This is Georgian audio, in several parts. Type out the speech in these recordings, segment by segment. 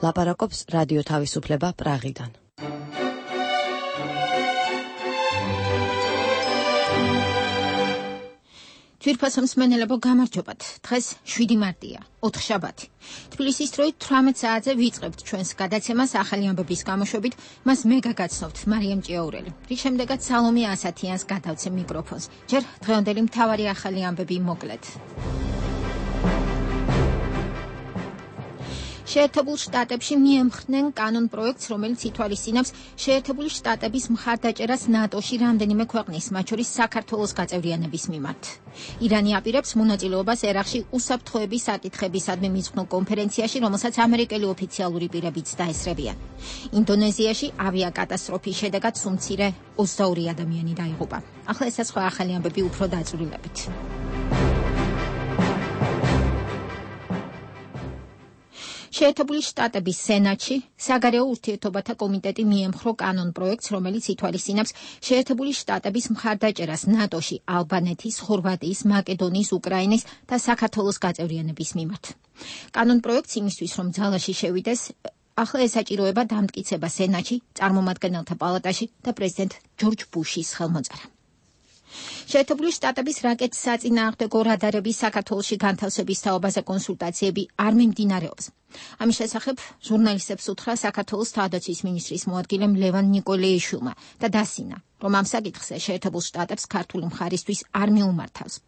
ლაპარაკობს რადიო თავისუფლება პრაღიდან. თვირფასო მსმენელებო, გამარჯობათ. დღეს 7 მარტია, ოთხშაბათი. თბილისის დროით 18 საათზე ვიწყებთ ჩვენს გადაცემას ახალი ამბების გამოშვებით. მას მე გაგაცნობთ მარიამ ჭიაურელი. რის შემდეგაც სალომე ასათიანს გადავცემ მიკროფონს. ჯერ დღევანდელი მთავარი ახალი ამბები მოკლედ. შეერთებულ შტატებში მიემხრნენ კანონ პროექტს, რომელიც ითვალისწინებს შეერთებული შტატების მხარდაჭერას ნატოში რამდენიმე ქვეყნის, მათ შორის საქართველოს გაწევრიანების მიმართ. ირანი აპირებს მონაწილეობას ერაყში უსაფრთხოების საკითხებისადმი მიძღვნილ კონფერენციაში, რომელსაც ამერიკელი ოფიციალური პირებიც დაესწრებიან. ინდონეზიაში ავიაკატასტროფის შედეგად სუმცირე 22 ადამიანი დაიღუპა. ახლა ესა სხვა ახალი ამბები უფრო დაწვრილებით. შეერთებული შტატების სენატში საგარეო ურთიერთობათა კომიტეტი მიემხრო კანონ პროექტს, რომელიც ითვალისწინებს შეერთებული შტატების მხარდაჭერას ნატოში ალბანეთის, ხორვატიის, მაკედონიის, უკრაინის და საქართველოს გაწევრიანების მიმართ. კანონ პროექტს იმისთვის, რომ ძალაში შევიდეს, ახლა ესაჭიროება დამტკიცება სენატში, წარმომადგენელთა პალატაში და პრეზიდენტ ჯორჯ ბუშის ხელმოწერა. შეერთებული შტატების რაკეტის საწინააღმდეგო რადარების საქართველოში განთავსების თაობაზე კონსულტაციები არ მიმდინარეობს. ამის შესახებ ჟურნალისტებს უთხრა საქართველოს თავდაცვის მინისტრის მოადგილემ ლევან ნიკოლეიშვილმა და დასინა, რომ ამ საკითხზე შეერთებულ შტატებს ქართული მხარისთვის არ მიუმართავს.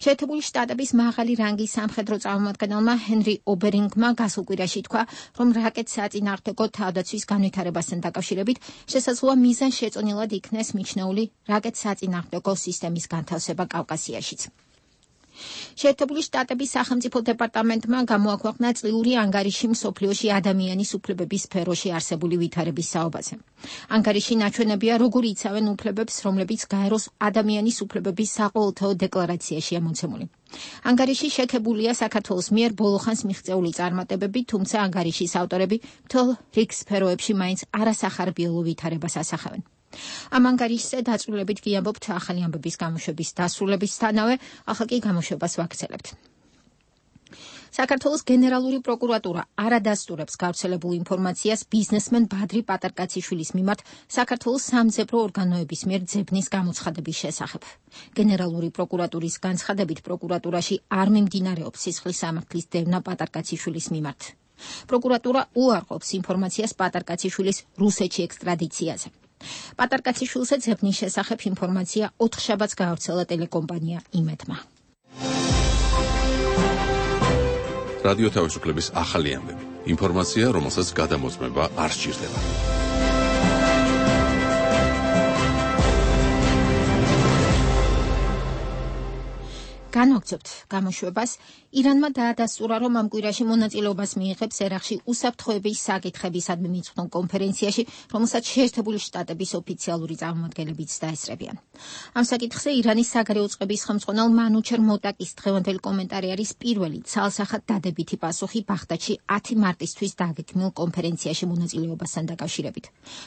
შეერთებული შტატების მაღალი რანგის სამხედრო წარმომადგენელმა ჰენრი ობერინგმა გასულ კვირაში თქვა, რომ რაკეტის საწინააღმდეგო თავდაცვის განვითარებასთან დაკავშირებით შესაძლოა მიზანშეწონილად იქნეს მიჩნეული რაკეტის საწინააღმდეგო სისტემის განთავსება კავკასიაშიც. შეერთებული შტატების სახელმწიფო დეპარტამენტმა გამოაქვეყნა წლიური ანგარიში მსოფლიოში ადამიანის უფლებების სფეროში არსებული ვითარების საუბაზე. ანგარიში ნაჩვენებია, როგორ იცავენ უფლებებს, რომლებიც გაეროს ადამიანის უფლებების საყოველთაო დეკლარაციაშია მოცემული. ანგარიში შექებულია საქართველოს მიერ ბოლოხანს მიღწეული წარმატებები, თუმცა ანგარიშის ავტორები მთელ რიგ სფეროებში მაინც არასახარბიელო ვითარებას ასახავენ. ამ ანგარიშზე დაწვრილებით გიამბობთ ახალი ამბების გამოშვების დასრულებისთანავე, ახლა კი გამოშვებას ვაგრძელებთ. საქართველოს გენერალური პროკურატურა არ ადასტურებს გავრცელებულ ინფორმაციას ბიზნესმენ ბადრი პატარკაციშვილის მიმართ საქართველოს სამძებრო ორგანოების მიერ ძებნის გამოცხადების შესახებ. გენერალური პროკურატურის განცხადებით, პროკურატურაში არ მიმდინარეობს სისხლის სამართლის დევნა პატარკაციშვილის მიმართ. პროკურატურა უარყოფს ინფორმაციას პატარკაციშვილის რუსეთში ექსტრადიციაზე. პატარკაციშვილზე ძებნის შესახებ ინფორმაცია 4 შაბათს გაავრცელა ტელეკომპანია იმედმა. რადიო თავისუფლების ახალი ამბები. ინფორმაცია, რომელსაც გადამოწმება არ სჭირდება. განვაგრძობთ გამოშვებას. ირანმა დაადასტურა, რომ ამ კვირაში მონაწილეობას მიიღებს ერაყში უსაფრთხოების საკითხებისადმი მიძღვნილ კონფერენციაში, რომელსაც შეერთებული შტატების ოფიციალური წარმომადგენლებიც დაესწრებიან. ამ საკითხზე ირანის საგარეო წყების ხელმძღვანელ მანუჩერ მოტაკის დღევანდელი კომენტარი არის პირველი ცალსახად დადებითი პასუხი ბაღდადში 10 მარტისთვის დაგეგმილ კონფერენციაში მონაწილეობასთან დაკავშირებით.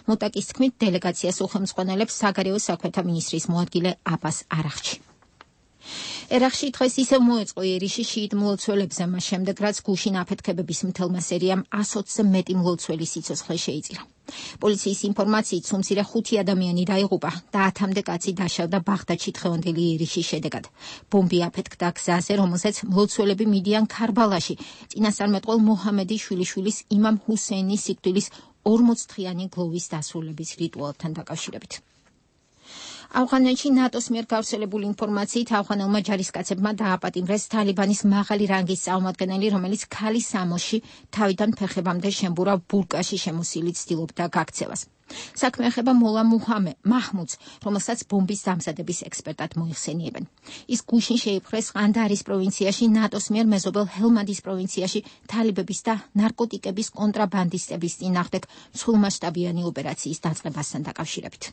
მოტაკის თქმით, დელეგაციას უხელმძღვანელებს საგარეო საქმეთა მინისტრის მოადგილე აბას არაღჩი. ერაყში დღეს ისევ მოეწყო იერიში შიიტ მლოცველებზე, მას შემდეგ, რაც გუშინ აფეთქებების მთელმა სერიამ 120-ზე მეტი მლოცველი სიცოცხლე შეიწირა. პოლიციის ინფორმაციით სუმცირე 5 ადამიანი დაიღუპა და 10-მდე კაცი დაშავდა ბაღდადში დღევანდელი იერიშის შედეგად. ბომბი აფეთქდა გზაზე, რომელზეც მლოცველები მიდიან ქარბალაში, წინასწარმეტყველ მოჰამედი შვილიშვილის იმამ ჰუსეინის სიკვდილის 40-დღიანი გლოვის დასრულების რიტუალთან დაკავშირებით. ავღანეთში ნატოს მიერ გავრცელებული ინფორმაციით ავღანელმა ჯარისკაცებმა დააპატიმრეს თალიბანის მაღალი რანგის წარმომადგენელი, რომელიც ქალის სამოსში თავიდან ფეხებამდე შემბურა ბურკაში შემოსილი ცდილობდა გაქცევას. საქმე ეხება მოლა მაჰმუდს, რომელსაც ბომბის დამზადების ექსპერტად მოიხსენიებენ. ის გუშინ შეიპყრეს ყანდარის პროვინციაში ნატოს მიერ მეზობელ ჰელმანდის პროვინციაში თალიბების და ნარკოტიკების კონტრაბანდისტების წინააღმდეგ სრულმასშტაბიანი ოპერაციის დაწყებასთან დაკავშირებით.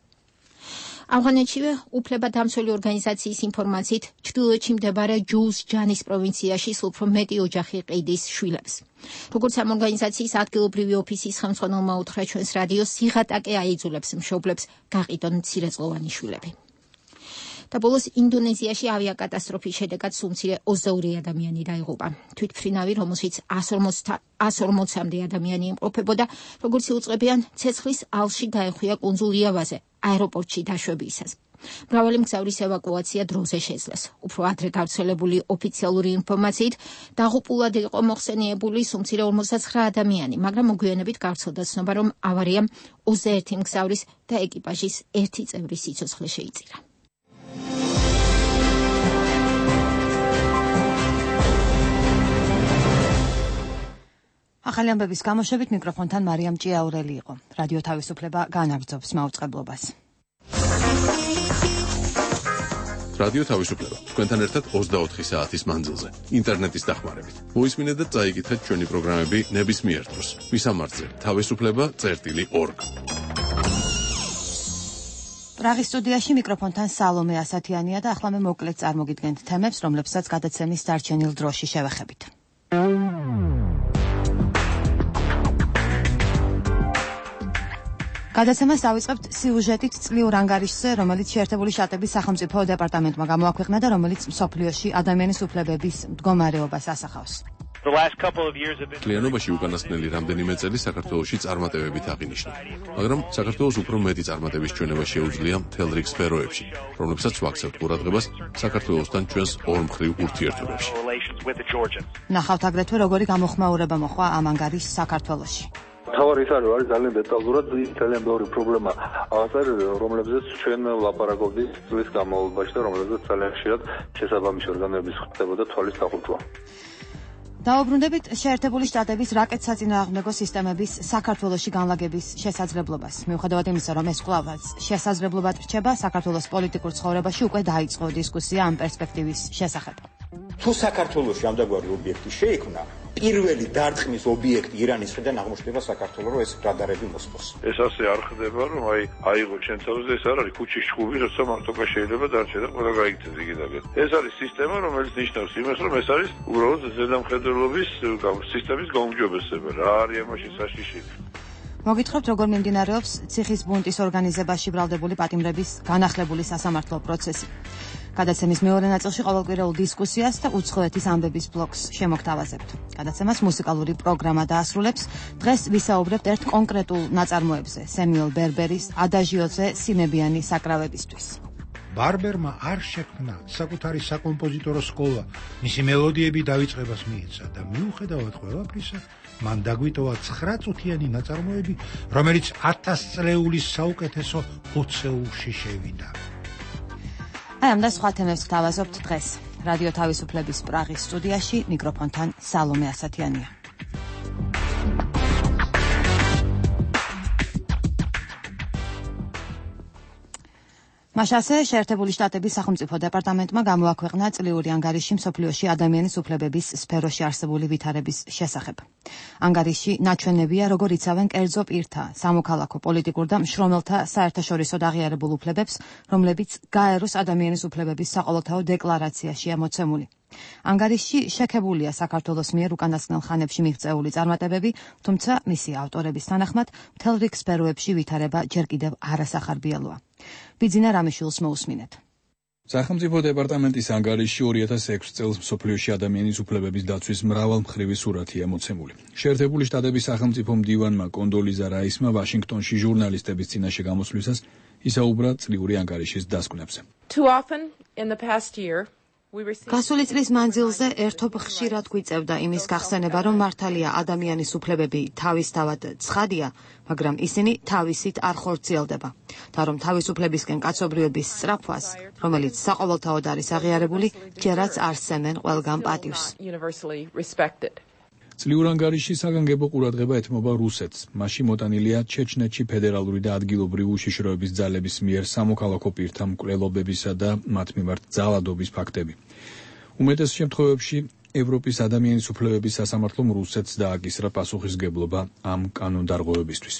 ავღანეთშივე უფლებადამცველი ორგანიზაციის ინფორმაციით ჩრდილოეთში მდებარე ჯულს-ჯანის პროვინციაში უფრო მეტი ოჯახი ყიდის შვილებს. როგორც ამ ორგანიზაციის ადგილობრივი ოფისის ხელმძღვანელმა უთხრა ჩვენს რადიოს, სიღატაკე აიძულებს მშობლებს გაყიდონ მცირეწლოვანი შვილები. და ბოლოს ინდონეზიაში ავიაკატასტროფის შედეგად სულ მცირე 22 ადამიანი დაიღუპა. თვითმფრინავი, რომელშიც 140-მდე ადამიანი იმყოფებოდა, როგორც იუწყებიან, ცეცხლის ალში გაეხვია კუნძულ იავაზე, აეროპორტში დაშვებისას. მრავალი მგზავრის ევაკუაცია დროზე შეძლეს. უფრო ადრე გავრცელებული ოფიციალური ინფორმაციით, დაღუპულად იყო მოხსენიებული სულ მცირე 59 ადამიანი, მაგრამ მოგვიანებით გავრცელდა ცნობა, რომ ავარიამ 21 მგზავრის და ეკიპაჟის 1 წევრის სიცოცხლე შეიწირა. ახალი ამბების გამოშვებით მიკროფონთან მარიამ ჭიაურელი იყო. რადიო თავისუფლება განაგრძობს მაუწყებლობას. რადიო თავისუფლება თქვენთან ერთად 24 საათის მანძილზე ინტერნეტის დახმარებით. მოისმინეთ და წაიკითხეთ ჩვენი პროგრამები ნებისმიერ დროს. მისამართზე თავისუფლება.org. პრაღის სტუდიაში მიკროფონთან სალომე ასათიანია და ახლა მე მოკლედ წარმოგიდგენთ თემებს, რომლებსაც გადაცემის დარჩენილ დროში შევეხებით. გადაცემას დავიწყებთ სიუჟეტით წლიურ ანგარიშზე, რომელიც შეერთებული შტატების სახელმწიფო დეპარტამენტმა გამოაქვეყნა და რომელიც მსოფლიოში ადამიანის უფლებების მდგომარეობას ასახავს. კლიანობაში უკანასკნელი რამდენიმე წელი საქართველოში წარმატებებით აღინიშნა, მაგრამ საქართველოს უფრო მეტი წარმატების ჩვენება შეუძლია მთელ რიგ სფეროებში, რომლებსაც ვაქცევთ ყურადღებას საქართველოსთან ჩვენს ორმხრივ ურთიერთობებში. ნახავთ აგრეთვე როგორი გამოხმაურება მოხდა ამ ანგარიშს საქართველოში. თავარი ის არის ძალიან დეტალურად ძალიან ბევრი პრობლემა აღწერილი, რომლებზეც ჩვენ ვლაპარაკობდით წლის განმავლობაში და რომლებზეც ძალიან ხშირად შესაბამისი ორგანოების ხდებოდა თვალის დახურვა. დაუბრუნდებით შეერთებული შტატების რაკეტსაწინააღმდეგო სისტემების საქართველოში განლაგების შესაძლებლობას. მიუხედავად იმისა, რომ ეს კვლავაც შესაძლებლობად რჩება, საქართველოს პოლიტიკურ ცხოვრებაში უკვე დაიწყო დისკუსია ამ პერსპექტივის შესახებ. თუ საქართველოში ამდაგვარი ობიექტი შეიქმნა, პირველი დარტყმის ობიექტი ირანის მხრიდან აღმოჩნდება საქართველოს, რომ ეს რადარები მოსპოს. ეს ასე არ ხდება, რომ აიღო ჩვენ თავზე, ეს არ არის ქუჩის ჩხუბი, როცა მარტოკა შეიძლება დარჩე და ყველა გაიქცეს იგივე. ეს არის სისტემა, რომელიც ნიშნავს იმას, რომ ეს არის უბრალოდ ზედამხედველობის სისტემის გაუმჯობესება. რა არის ამაში საშიში? მოგითხრობთ, როგორ მიმდინარეობს ციხის ბუნტის ორგანიზებაში ბრალდებული პატიმრების განახლებული სასამართლო პროცესი. გადაცემის მეორე ნაწილში ყოველკვირეულ დისკუსიას და უცხოეთის ამბების ბლოკს შემოგთავაზებთ. გადაცემას მუსიკალური პროგრამა დაასრულებს. დღეს ვისაუბრებთ ერთ კონკრეტულ ნაწარმოებზე, სემიუელ ბერბერის ადაჟიოზე სიმებიანი საკრავებისთვის. ბარბერმა არ შექმნა საკუთარი საკომპოზიტორო სკოლა, მისი მელოდიები დავიწყებას მიეცა და მიუხედავად ყველაფრისა, მან დაგვიტოვა 9 წუთიანი ნაწარმოები, რომელიც 1000 წლეულის საუკეთესო ოცეულში შევიდა. აი ამ და სხვა თემებს ვთავაზობთ დღეს. რადიო თავისუფლების პრაღის სტუდიაში მიკროფონთან სალომე ასათიანია. მაშასე შეერთებული შტატების სახელმწიფო დეპარტამენტმა გამოაქვეყნა წლიური ანგარიში მსოფლიოში ადამიანის უფლებების სფეროში არსებული ვითარების შესახებ. ანგარიში ნაჩვენებია, როგორ იცავენ კერძო პირთა, სამოქალაქო, პოლიტიკურ და მშრომელთა საერთაშორისოდ აღიარებულ უფლებებს, რომლებიც გაეროს ადამიანის უფლებების საყოველთაო დეკლარაციაშია მოცემული. ანგარიში შექებულია საქართველოს მიერ უკანასკნელ ხანებში მიღწეული წარმატებები, თუმცა მისი ავტორების თანახმად მთელ რიგ სფეროებში ვითარება ჯერ კიდევ არასახარბიელოა. ბიძინა რამიშვილს მოусმინეთ. სახელმწიფო დეპარტამენტის ანგარიში 2006 წელს მსოფლიოში ადამიანის უფლებების დაცვის მრავალმხრივი სურათია მოცემული. შეერთებული შტატების სახელმწიფო მდივანმა კონდოლიზა რაისმა ვაშინგტონში ჟურნალისტების წინაშე გამოსვლისას ისაუბრა წლიური ანგარიშის დასკვნებზე. გასული წლის მანძილზე ერთობ ხშირად გვიწევდა იმის გახსენება, რომ მართალია ადამიანის უფლებები თავისთავად ცხადია, მაგრამ ისინი თავისით არ ხორციელდება და რომ თავისუფლებისკენ კაცობრიობის სწრაფვას, რომელიც საყოველთაოდ არის აღიარებული, ჯერაც არ სცემენ ყველგან პატივს. წლიურ ანგარიში საგანგებო ყურადღება ეთმობა რუსეთს. მასში მოტანილია ჩეჩნეთში ფედერალური და ადგილობრივი უშიშროების ძალების მიერ სამოქალაქო პირთა მკვლელობებისა და მათ მიმართ ძალადობის ფაქტები. უმეტეს შემთხვევებში ევროპის ადამიანის უფლებების სასამართლომ რუსეთს დააკისრა პასუხისგებლობა ამ კანონდარღვევებისთვის.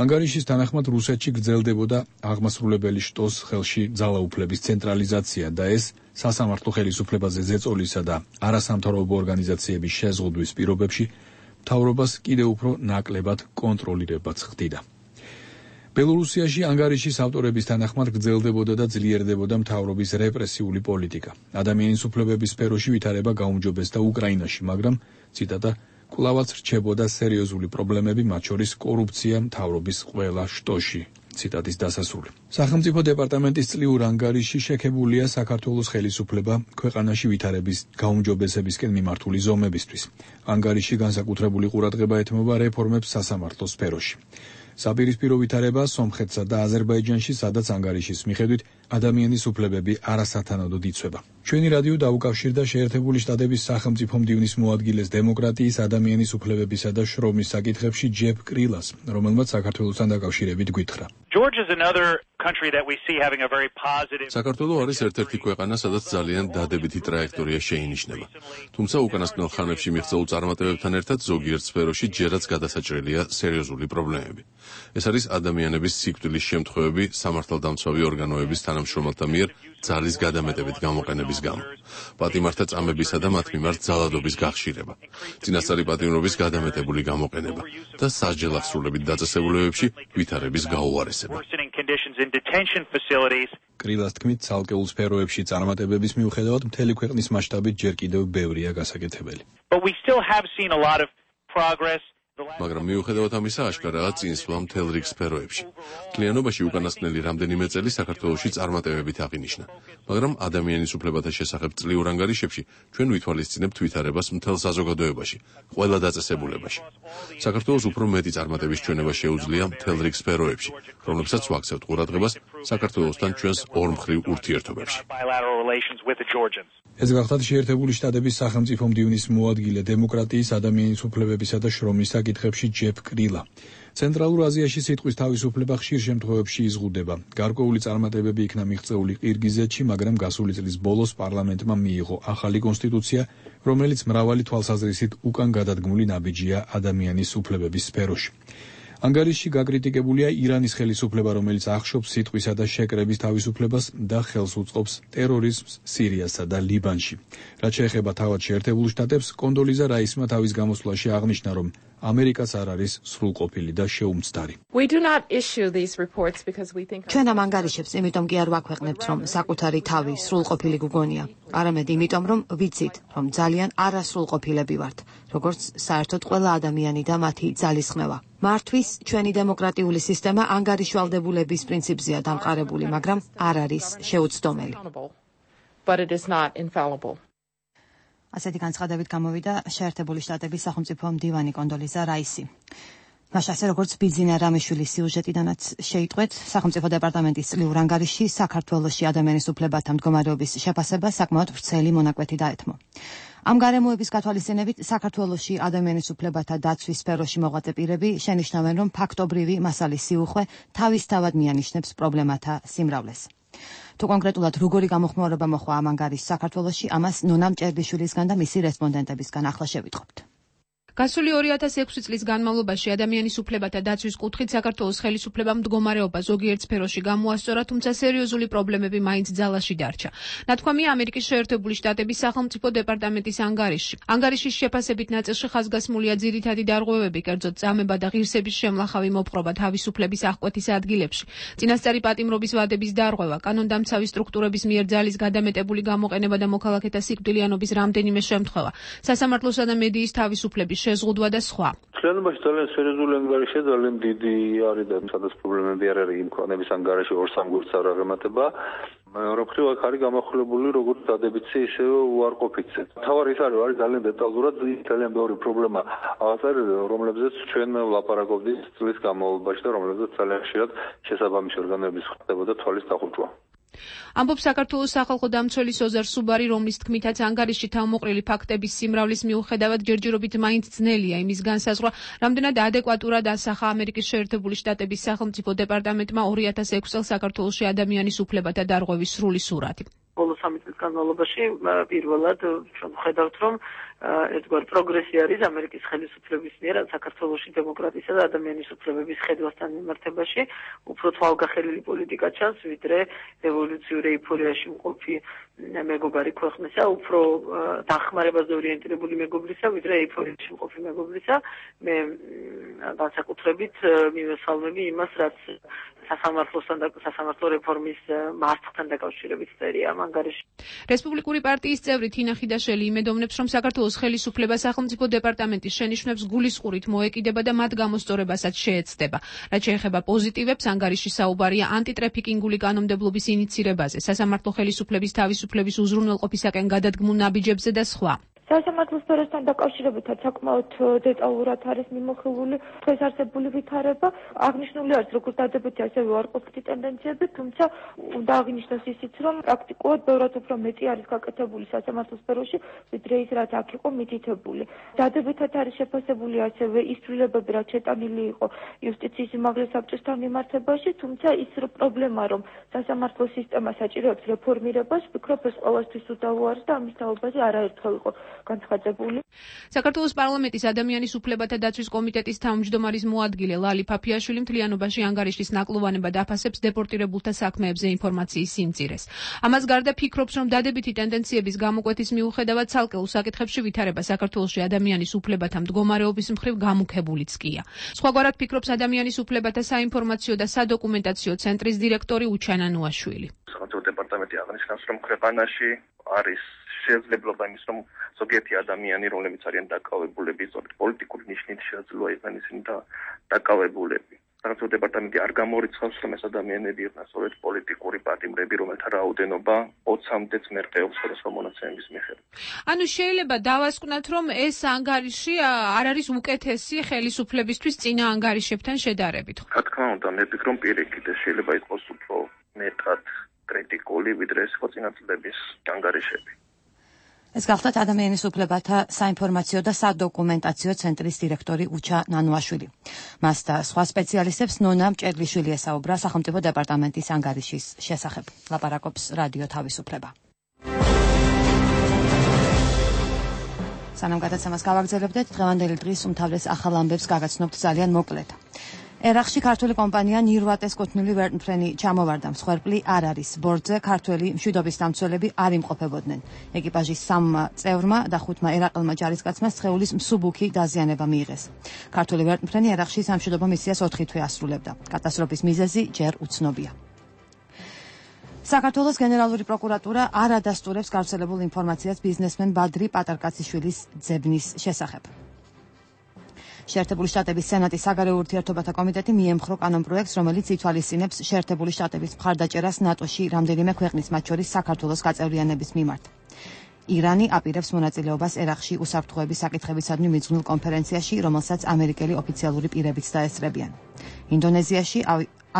ანგარიშის თანახმად რუსეთში გრძელდებოდა აღმასრულებელი შტოს ხელში ძალაუფლების ცენტრალიზაცია და ეს სასამართლო ხელისუფლებაზე ზეწოლისა და არასამთავრობო ორგანიზაციების შეზღუდვის პირობებში მთავრობას კიდევ უფრო ნაკლებად კონტროლირებაც ხდიდა. ბელორუსიაში ანგარიშის ავტორების თანახმად გრძელდებოდა და ძლიერდებოდა მთავრობის რეპრესიული პოლიტიკა. ადამიანის უფლებების სფეროში ვითარება გაუმჯობესდა უკრაინაში, მაგრამ ციტატა კვლავაც რჩებოდა სერიოზული პრობლემები, მათ შორის კორუფცია მთავრობის ყველა შტოში. ციტატის დასასრული. სახელმწიფო დეპარტამენტის წლიურ ანგარიში შექებულია საქართველოს ხელისუფლება ქვეყანაში ვითარების გაუმჯობესებისკენ მიმართული ზომებისთვის. ანგარიში განსაკუთრებული ყურადღება ეთმობა რეფორმებს სასამართლო სფეროში. საპირისპირო ვითარება სომხეთსა და აზერბაიჯანში, სადაც ანგარიშის მიხედვით ადამიანის უფლებები არასათანადოდ იცვება. ჩვენი რადიო დაუკავშირდა შეერთებული შტატების სახელმწიფო მდივნის მოადგილეს დემოკრატიის, ადამიანის უფლებებისა და შრომის საკითხებში ჯეფ კრილას, რომელმაც საქართველოსთან დაკავშირებით გვითხრა. საქართველო არის ერთ-ერთი ქვეყანა, სადაც ძალიან დადებითი ტრაექტორია შეინიშნება. თუმცა უკანასკნელ ხანებში მიღწეულ წარმატებებთან ერთად ზოგიერთ სფეროში ჯერაც გადასაჭრელია სერიოზული პრობლემები. ეს არის ადამიანების სიკვდილის შემთხვევები სამართალდამცავი ორგანოების თანამშრომელთა მიერ ძალის გადამეტებით გამოყენების გამო, პატიმართა წამებისა და მათ მიმართ ძალადობის გახშირება, წინასწარი პატიმრობის გადამეტებული გამოყენება და სასჯელ აღსრულებით დაწესებულებებში ვითარების გაუარესება. კრილას თქმით, ცალკეულ სფეროებში წარმატებების მიუხედავად მთელი ქვეყნის მასშტაბით ჯერ კიდევ ბევრია გასაკეთებელი. მაგრამ მიუხედავად ამისა, აშკარაა წინსვლა მთელ რიგ სფეროებში. მთლიანობაში უკანასკნელი რამდენიმე წელი საქართველოში წარმატებებით აღინიშნა, მაგრამ ადამიანის უფლებათა შესახებ წლიურ ანგარიშებში ჩვენ ვითვალისწინებთ ვითარებას მთელ საზოგადოებაში, ყველა დაწესებულებაში. საქართველოს უფრო მეტი წარმატების ჩვენება შეუძლია მთელ რიგ სფეროებში, რომლებსაც ვაქცევთ ყურადღებას საქართველოსთან ჩვენს ორმხრივ ურთიერთობებში. ეს გახლავთ შეერთებული შტატების სახელმწიფო მდივნის მოადგილე დემოკრატიის, ადამიანის უფლებებისა და შრომის საკითხებში ჯეფ კრილა. ცენტრალურ აზიაში სიტყვის თავისუფლება ხშირ შემთხვევებში იზღუდება. გარკვეული წარმატებები იქნა მიღწეული ყირგიზეთში, მაგრამ გასული წლის ბოლოს პარლამენტმა მიიღო ახალი კონსტიტუცია, რომელიც მრავალი თვალსაზრისით უკან გადადგმული ნაბიჯია ადამიანის უფლებების სფეროში. ანგარიში გაკრიტიკებულია ირანის ხელისუფლება, რომელიც ახშობს სიტყვისა და შეკრების თავისუფლებას და ხელს უწყობს ტერორიზმს სირიასა და ლიბანში. რაც შეეხება თავად შეერთებულ შტატებს, კონდოლიზა რაისმა თავის გამოსვლაში აღნიშნა, რომ ამერიკაც არ არის სრულყოფილი და შეუმცდარი. ჩვენ ამ ანგარიშებს იმიტომ კი არ ვაქვეყნებთ, რომ საკუთარი თავი სრულყოფილი გგონია, არამედ იმიტომ, რომ ვიცით, რომ ძალიან არასრულყოფილები ვართ, როგორც საერთოდ ყველა ადამიანი და მათი ძალისხმევა. მართვის ჩვენი დემოკრატიული სისტემა ანგარიშვალდებულების პრინციპზეა დამყარებული, მაგრამ არ არის შეუცდომელი. ასეთი განცხადებით გამოვიდა შეერთებული შტატების სახელმწიფო მდივანი კონდოლიზა რაისი. მაშინ ასე როგორც ბიძინა რამიშვილის სიუჟეტიდანაც შეიტყვეთ, სახელმწიფო დეპარტამენტის წლიურ ანგარიში საქართველოში ადამიანის უფლებათა მდგომარეობის შეფასება საკმაოდ ვრცელი მონაკვეთი დაეთმო. ამ გარემოების გათვალისწინებით საქართველოში ადამიანის უფლებათა დაცვის სფეროში მოღვაწე პირები შენიშნავენ, რომ ფაქტობრივი მასალის სიუხვე თავისთავად მიანიშნებს პრობლემათა სიმრავლეს. თუ კონკრეტულად როგორი გამოხმაურება მოხდა ამ ანგარიშს საქართველოში, ამას ნონა მჭერდიშვილისგან და მისი რესპონდენტებისგან ახლა შევიტყობთ. გასული 2006 წლის განმავლობაში ადამიანის უფლებათა დაცვის კუთხით საქართველოს ხელისუფლებამ მდგომარეობა ზოგიერთ სფეროში გამოასწორა, თუმცა სერიოზული პრობლემები მაინც ძალაში დარჩა. ნათქვამია ამერიკის შეერთებული შტატების სახელმწიფო დეპარტამენტის ანგარიში. ანგარიშის შეფასებით ნაწილში ხაზგასმულია ძირითადი დარღვევები, კერძოდ წამება და ღირსების შემლახავი მოპყრობა თავისუფლების აღკვეთის ადგილებში, წინასწარი პატიმრობის ვადების დარღვევა, კანონდამცავი სტრუქტურების მიერ ძალის გადამეტებული გამოყენება და მოქალაქეთა სიკვდილიანობის რამდენიმე შემთხვევა, სასამართლოსა და მედიის თავისუფლების შეზღუდვა და სხვა. Ჩვენობაში ძალიან სერიოზული ანგარიშია, ძალიან დიდი არის და სადაც პრობლემები არ არის იმ ქვეყნების ანგარიში 2-3 გვერდს არ აღემატება. მეორე მხრივ აქ არის გამახვილებული როგორც დადებითი, ისევე უარყოფითი. თავარი ის არის ძალიან დეტალურად ძალიან ბევრი პრობლემა აღწერილი, რომლებზეც ჩვენ ვლაპარაკობდით წლის განმავლობაში და რომლებზეც ძალიან ხშირად შესაბამისი ორგანოების ხდებოდა თვალის დახურვა. ამბობს საქართველოს სახალხო დამცველის ოზარ სუბარი, რომლის თქმითაც ანგარიში თავმოყრილი ფაქტების სიმრავლის მიუხედავად ჯერჯერობით მაინც ძნელია იმის განსაზღვრა, რამდენად ადეკვატურად ასახა ამერიკის შეერთებული შტატების სახელმწიფო დეპარტამენტმა 2006 წელს საქართველოში ადამიანის უფლებათა დარღვევის სრული სურათი. ბოლო 3 წლის განმავლობაში პირველად ჩვენ ვხედავთ, რომ ერთგვარ პროგრესი არის ამერიკის ხელისუფლების მიერ საქართველოში დემოკრატიისა და ადამიანის უფლებების ხედვასთან მიმართებაში უფრო თვალგახელილი პოლიტიკა ჩანს, ვიდრე ევოლუციური ეიფორიაში მყოფი მეგობარი ქვეყნისა, უფრო დახმარებაზე ორიენტირებული მეგობრისა, ვიდრე ეიფორიაში მყოფი მეგობრისა. მე განსაკუთრებით მივესალმები იმას, რაც სასამართლო რეფორმის მარცხთან დაკავშირებით წერია ამ ანგარიში. რესპუბლიკური პარტიის წევრი თინა ხიდაშელი იმედოვნებს, რომ საქართველოს ხელისუფლება სახელმწიფო დეპარტამენტის შენიშვნებს გულისყურით მოეკიდება და მათ გამოსწორებასაც შეეცდება. რაც შეეხება პოზიტივებს, ანგარიში საუბარია ანტიტრეფიკინგული კანონმდებლობის ინიცირებაზე, სასამართლო ხელისუფლების თავისუფლების უზრუნველყოფისაკენ გადადგმულ ნაბიჯებზე და სხვა. სასამართლო სფეროსთან დაკავშირებითაც საკმაოდ დეტალურად არის მიმოხილული დღეს არსებული ვითარება. აღნიშნული არის როგორც დადებითი, ასევე უარყოფითი ტენდენციები, თუმცა უნდა აღინიშნოს ისიც, რომ პრაქტიკულად ბევრად უფრო მეტი არის გაკეთებული სასამართლო სფეროში, ვიდრე ის, რაც აქ იყო მითითებული. დადებითად არის შეფასებული ასევე ის ცვლილებები, რაც შეტანილი იყო იუსტიციის უმაღლეს საბჭოსთან მიმართებაში, თუმცა ის პრობლემა, რომ სასამართლო სისტემა საჭიროებს რეფორმირებას, ვფიქრობ, ეს ყველასთვის უდავო არის და ამის თაობაზე არაერთხელ იყო განცხადებული. საქართველოს პარლამენტის ადამიანის უფლებათა დაცვის კომიტეტის თავმჯდომარის მოადგილე ლალი ფაფიაშვილი მთლიანობაში ანგარიშის ნაკლოვანებად აფასებს დეპორტირებულთა საქმეებზე ინფორმაციის სიმწირეს. ამას გარდა ფიქრობს, რომ დადებითი ტენდენციების გამოკვეთის მიუხედავად ცალკეულ საკითხებში ვითარება საქართველოში ადამიანის უფლებათა მდგომარეობის მხრივ გამუქებულიც კია. სხვაგვარად ფიქრობს ადამიანის უფლებათა საინფორმაციო და სადოკუმენტაციო ცენტრის დირექტორი უჩანა ნუაშვილი. სახელმწიფო დეპარტამენტი აღნიშნავს, რომ ქვეყანაში არის შესაძლებლობა იმის, რომ ზოგიერთი ადამიანი, რომლებიც არიან დაკავებულები პოლიტიკური ნიშნით, შესაძლოა იყვნენ ისინი დაკავებულები. სახელმწიფო დეპარტამენტი არ გამორიცხავს, რომ ეს ადამიანები იყვნენ სწორედ პოლიტიკური პატიმრები, რომელთა რაოდენობა 20-მდეც მერყეობს სხვადასხვა მონაცემების მიხედვით. ანუ შეიძლება დავასკვნათ, რომ ეს ანგარიში არ არის უკეთესი ხელისუფლებისთვის წინა ანგარიშებთან შედარებით. რა თქმა უნდა, მე ვფიქრობ, პირიქით შეიძლება იყოს უფრო მეტად კრიტიკული, ვიდრე ეს იყო წინა წლების ანგარიშები. ეს გახლდათ ადამიანის უფლებათა საინფორმაციო და სადოკუმენტაციო ცენტრის დირექტორი უჩა ნანუაშვილი. მას და სხვა სპეციალისტებს ნონა მჭედლიშვილი ესაუბრა სახელმწიფო დეპარტამენტის ანგარიშის შესახებ. ლაპარაკობს რადიო თავისუფლება. სანამ გადაცემას გავაგრძელებდეთ, დღევანდელი დღის უმთავრეს ახალ ამბებს გაგაცნობთ ძალიან მოკლედ. ერაყში ქართული კომპანია ნირვატეს კუთვნილი ვერტმფრენი ჩამოვარდა. მსხვერპლი არ არის. ბორტზე ქართველი მშვიდობის დამცველები არ იმყოფებოდნენ. ეკიპაჟის 3 წევრმა და 5 ერაყელმა ჯარისკაცმა სხეულის მსუბუქი დაზიანება მიიღეს. ქართული ვერტმფრენი ერაყში სამშვიდობო მისიას 4 თვე ასრულებდა. კატასტროფის მიზეზი ჯერ უცნობია. საქართველოს გენერალური პროკურატურა არ ადასტურებს გავრცელებულ ინფორმაციას ბიზნესმენ ბადრი პატარკაციშვილის ძებნის შესახებ. შეერთებული შტატების სენატის საგარეო ურთიერთობათა კომიტეტი მიემხრო კანონპროექტს, რომელიც ითვალისწინებს შეერთებული შტატების მხარდაჭერას ნატოში რამდენიმე ქვეყნის, მათ შორის საქართველოს გაწევრიანების მიმართ. ირანი აპირებს მონაწილეობას ერაყში უსაფრთხოების საკითხებისადმი მიძღვნილ კონფერენციაში, რომელსაც ამერიკელი ოფიციალური პირებიც დაესწრებიან. ინდონეზიაში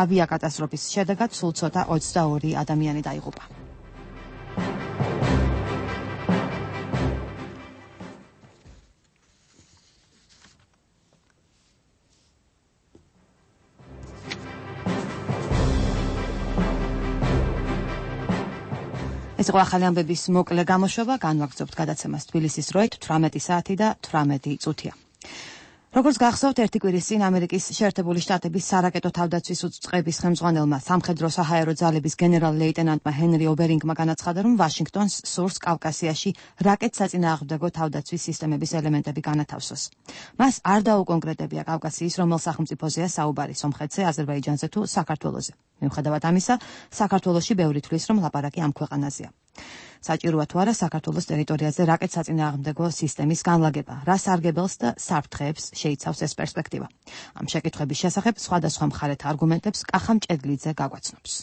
ავიაკატასტროფის შედეგად სულ ცოტა 22 ადამიანი დაიღუპა. ეს იყო ახალი ამბების მოკლე გამოშვება, განვაგრძობთ გადაცემას თბილისის დროით 18 საათი და 18 წუთია. როგორც გახსოვთ, ერთი კვირის წინ ამერიკის შეერთებული შტატების სარაკეტო თავდაცვის უწყების ხელმძღვანელმა სამხედრო-საჰაერო ძალების გენერალ-ლეიტენანტმა ჰენრი ობერინგმა განაცხადა, რომ ვაშინგტონს სურს კავკასიაში რაკეტსაწინააღმდეგო თავდაცვის სისტემების ელემენტები განათავსოს. მას არ დაუკონკრეტებია კავკასიის რომელ სახელმწიფოზეა საუბარი, სომხეთზე, აზერბაიჯანზე თუ საქართველოზე. მიუხედავად ამისა, საქართველოში ბევრი თვლის, რომ ლაპარაკი ამ ქვეყანაზეა. საჭიროა თუ არა საქართველოს ტერიტორიაზე რაკეტსაწინააღმდეგო სისტემის განლაგება, რა სარგებელს და საფრთხეებს შეიცავს ეს პერსპექტივა. ამ შეკითხების შესახებ სხვადასხვა მხარეთა არგუმენტებს კახა მჭედლიძე გაგვაცნობს.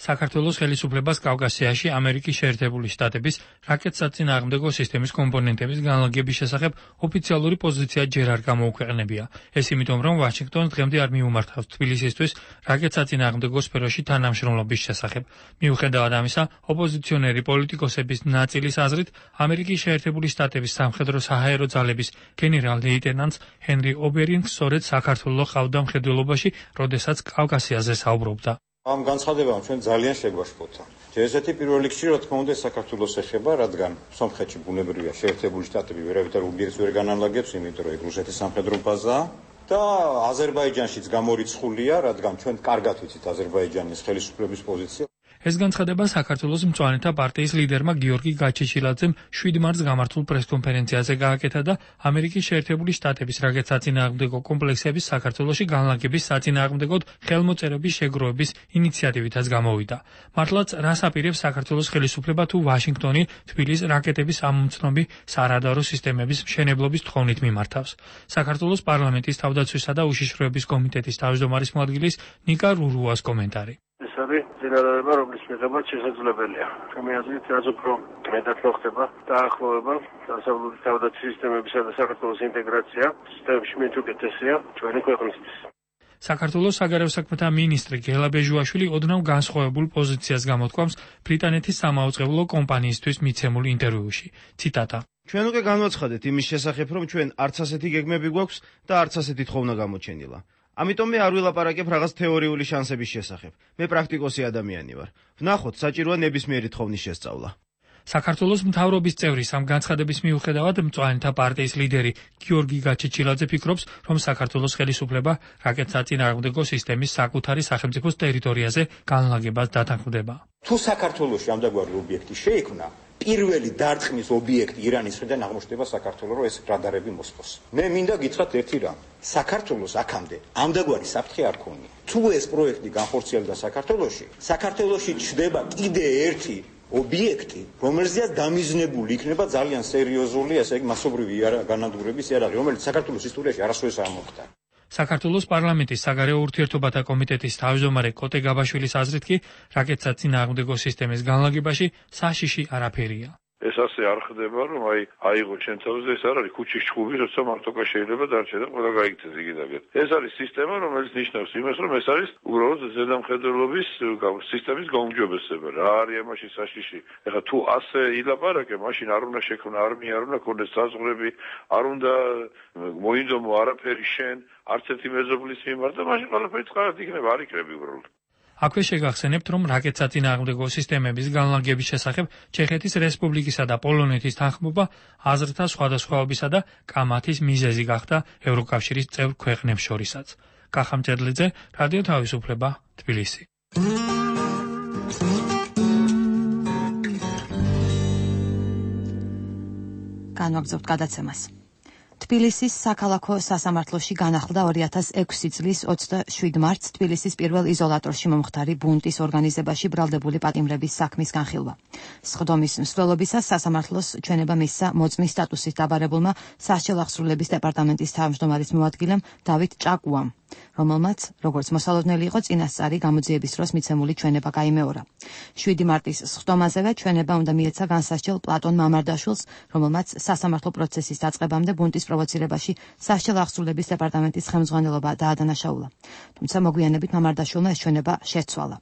საქართველოს ხელისუფლებას კავკასიაში ამერიკის შეერთებული შტატების რაკეტსაწინააღმდეგო სისტემის კომპონენტების განლაგების შესახებ ოფიციალური პოზიცია ჯერ არ გამოუქვეყნებია. ეს იმიტომ, რომ ვაშინგტონს დღემდე არ მიუმართავს თბილისისთვის რაკეტსაწინააღმდეგო სფეროში თანამშრომლობის შესახებ. მიუხედავად ამისა, ოპოზიციონერი პოლიტიკოსების ნაწილის აზრით, ამერიკის შეერთებული შტატების სამხედრო-საჰაერო ძალების გენერალ-ლეიტენანტს ჰენრი ობერინგს სწორედ საქართველოს ყავდა მხედველობაში, როდესაც კავკასიაზე საუბრობდა. ამ განცხადებამ ჩვენ ძალიან შეგვაშფოთა. ესეთი პირველ რიგში რა თქმა უნდა საქართველოს ეხება, რადგან სომხეთში ბუნებრივია შეერთებული შტატები ვერავითარ უბიექტს ვერ განალაგებს, იმიტომ რომ რუსეთის სამხედრო ბაზაა და აზერბაიჯანშიც გამორიცხულია, რადგან ჩვენ კარგად ვიცით აზერბაიჯანის ხელისუფლების პოზიცია. ეს განცხადება საქართველოს მწვანეთა პარტიის ლიდერმა გიორგი გაჩეჩილაძემ 7 მარტს გამართულ პრესკონფერენციაზე გააკეთა და ამერიკის შეერთებული შტატების რაკეტ საწინააღმდეგო კომპლექსების საქართველოში განლაგების საწინააღმდეგოდ ხელმოწერების შეგროვების ინიციატივითაც გამოვიდა. მართლაც რას აპირებს საქართველოს ხელისუფლება თუ ვაშინგტონი თბილისის რაკეტების ამომცნობი სარადარო სისტემების მშენებლობის თხოვნით მიმართავს. საქართველოს პარლამენტის თავდაცვისა და უშიშროების კომიტეტის თავმჯდომარის მოადგილის ნიკა რურუას კომენტარი. ეს არის წინადადება, რომლის მიღებაც შესაძლებელია. ჩემი აზრით, რაც უფრო მეტად მოხდება დაახლოება დასავლური თავდაცვის სისტემებისა და საქართველოს ინტეგრაცია სისტემებში მით უკეთესია ჩვენი ქვეყნისთვის. საქართველოს საგარეო საქმეთა მინისტრი გელა ბეჟუაშვილი ოდნავ განსხვავებულ პოზიციას გამოთქვამს ბრიტანეთის სამაუწყებლო კომპანიისთვის მიცემულ ინტერვიუში. ციტატა: ჩვენ უკვე განვაცხადეთ იმის შესახებ, რომ ჩვენ არც ასეთი გეგმები გვაქვს და არც ასეთი თხოვნა გამოჩენილა. ამიტომ მე არ ვილაპარაკებ რაღაც თეორიული შანსების შესახებ. მე პრაქტიკოსი ადამიანი ვარ. ვნახოთ, საჭიროა ნებისმიერი თხოვნის შესწავლა. საქართველოს მთავრობის წევრის ამ განცხადების მიუხედავად მწვანეთა პარტიის ლიდერი გიორგი გაჩეჩილაძე ფიქრობს, რომ საქართველოს ხელისუფლება რაკეტ საწინააღმდეგო სისტემის საკუთარი სახელმწიფოს ტერიტორიაზე განლაგებას დათანხმდება. თუ საქართველოში ამდაგვარი ობიექტი შეიქმნა, პირველი დარტყმის ობიექტი ირანის მხრიდან აღმოჩნდება საქართველოს, რომ ეს რადარები მოსწოს. მე მინდა გითხრათ ერთი რამ. საქართველოს აქამდე ამდაგვარი საფრთხე არ ქონია. თუ ეს პროექტი განხორციელდა საქართველოში ჩნდება კიდე ერთი ობიექტი, რომელზეც დამიზნებული იქნება ძალიან სერიოზული, ესე იგი მასობრივი განადგურების იარაღი, რომელიც საქართველოს ისტორიაში არასოდეს არ მოხდა. საქართველოს პარლამენტის საგარეო ურთიერთობათა კომიტეტის თავმჯდომარე კოტე გაბაშვილის აზრით კი რაკეტსაწინააღმდეგო სისტემის განლაგებაში საშიში არაფერია. ეს ასე არ ხდება, რომ აიღო ჩემ თავზე, ეს არ არის ქუჩის ჩხუბი, როცა მარტოკა შეიძლება დარჩე და ყველა გაიქცეს იგივე. ეს არის სისტემა, რომელიც ნიშნავს იმას, რომ ეს არის უბრალოდ ზედამხედველობის სისტემის გაუმჯობესება. რა არის ამაში საშიში? ეხლა თუ ასე ილაპარაკე, მაშინ არ უნდა შექმნა არმია, არ უნდა ქონდეს საზღვრები, არ უნდა მოინდომო არაფერი შენ, არც ერთი მეზობლის მიმართ და მაშინ ყველაფერი წყარად იქნება, არ იქნება უბრალოდ. აქვე შეგახსენებთ, რომ რაკეტ საწინააღმდეგო სისტემების განლაგების შესახებ ჩეხეთის რესპუბლიკისა და პოლონეთის თანხმობა აზრთა სხვადასხვაობისა და კამათის მიზეზი გახდა ევროკავშირის წევრ ქვეყნებს შორისაც. კახა მწერლიძე, რადიო თავისუფლება, თბილისი. განვაგრძობთ გადაცემას. თბილისის საქალაქო სასამართლოში განახლდა 2006 წლის 27 მარტს თბილისის პირველ იზოლატორში მომხდარი ბუნტის ორგანიზებაში ბრალდებული პატიმრების საქმის განხილვა. სხდომის მსვლელობისას სასამართლოს ჩვენება მისცა მოწმის სტატუსით დაბარებულმა სასჯელ აღსრულების დეპარტამენტის თავმჯდომარის მოადგილემ დავით ჭაკუამ, რომელმაც, როგორც მოსალოდნელი იყო, წინასწარი გამოძიების დროს მიცემული ჩვენება გაიმეორა. 7 მარტის სხდომაზევე ჩვენება უნდა მიეცა განსასჯელ პლატონ მამარდაშვილს, რომელმაც სასამართლო პროცესის დაწყებამდე ბუნტის პროვოცირებაში სასჯელ აღსრულების დეპარტამენტის ხელმძღვანელობა დაადანაშაულა. თუმცა მოგვიანებით მამარდაშვილმა ეს ჩვენება შეცვალა.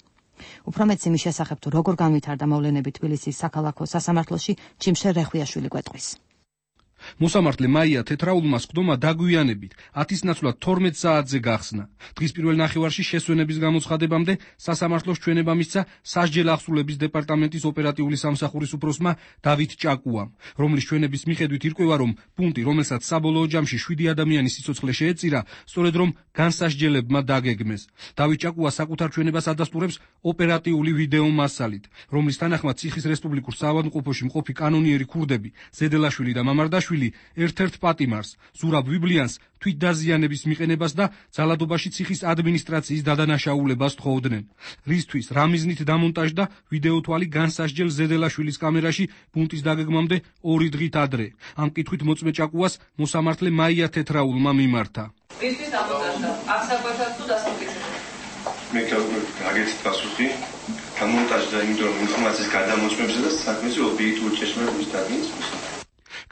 უფრო მეც იმის შესახებ, თუ როგორ განვითარდა მოვლენები თბილისის საქალაქო სასამართლოში, ჯიმშე რეხვიაშვილი გვეტყვის. მოსამართლე მაია თეთრაულმა სხდომა დაგვიანებით 10-ის ნაცვლად 12 საათზე გახსნა. დღის პირველ ნახევარში შესვენების გამოცხადებამდე სასამართლოს ჩვენება მისცა სასჯელ აღსრულების დეპარტამენტის ოპერატიული სამსახურის უფროსმა დავით ჭაკუამ, რომლის ჩვენების მიხედვით ირკვევა, რომ პუნქტი, რომელსაც საბოლოო ჯამში 7 ადამიანის სიცოცხლე შეეწირა, სწორედ რომ განსასჯელებმა დაგეგმეს. დავით ჭაკუა საკუთარ ჩვენებას ადასტურებს ოპერატიული ვიდეო მასალით, რომლის თანახმად ციხის რესპუბლიკურ საავადმყოფოში მყოფი კანონიერი ქურდები ზედელაშვილი და მამარდაშვილი ერთ-ერთ პატიმარს, ზურაბ ვიბლიანს თვითდაზიანების მიყენებას და ძალადობაში ციხის ადმინისტრაციის დადანაშაულებას თხოვდნენ. რისთვის რა მიზნით დამონტაჟდა ვიდეოთვალი განსასჯელ ზედელაშვილის კამერაში ბუნტის დაგეგმამდე 2 დღით ადრე. ამ კითხვით მოწმე ჭაკუას მოსამართლე მაია თეთრაულმა მიმართა. რისთვის დამონტაჟდა? აღსაკვეთად თუ დასამტკიცებლად? მე გაგეთ პასუხი დამონტაჟდა იმიტომ რომ ინფორმაციის გადამოწმებზე და საქმეზე ობიექტური ჭეშმარიტების დადგენის.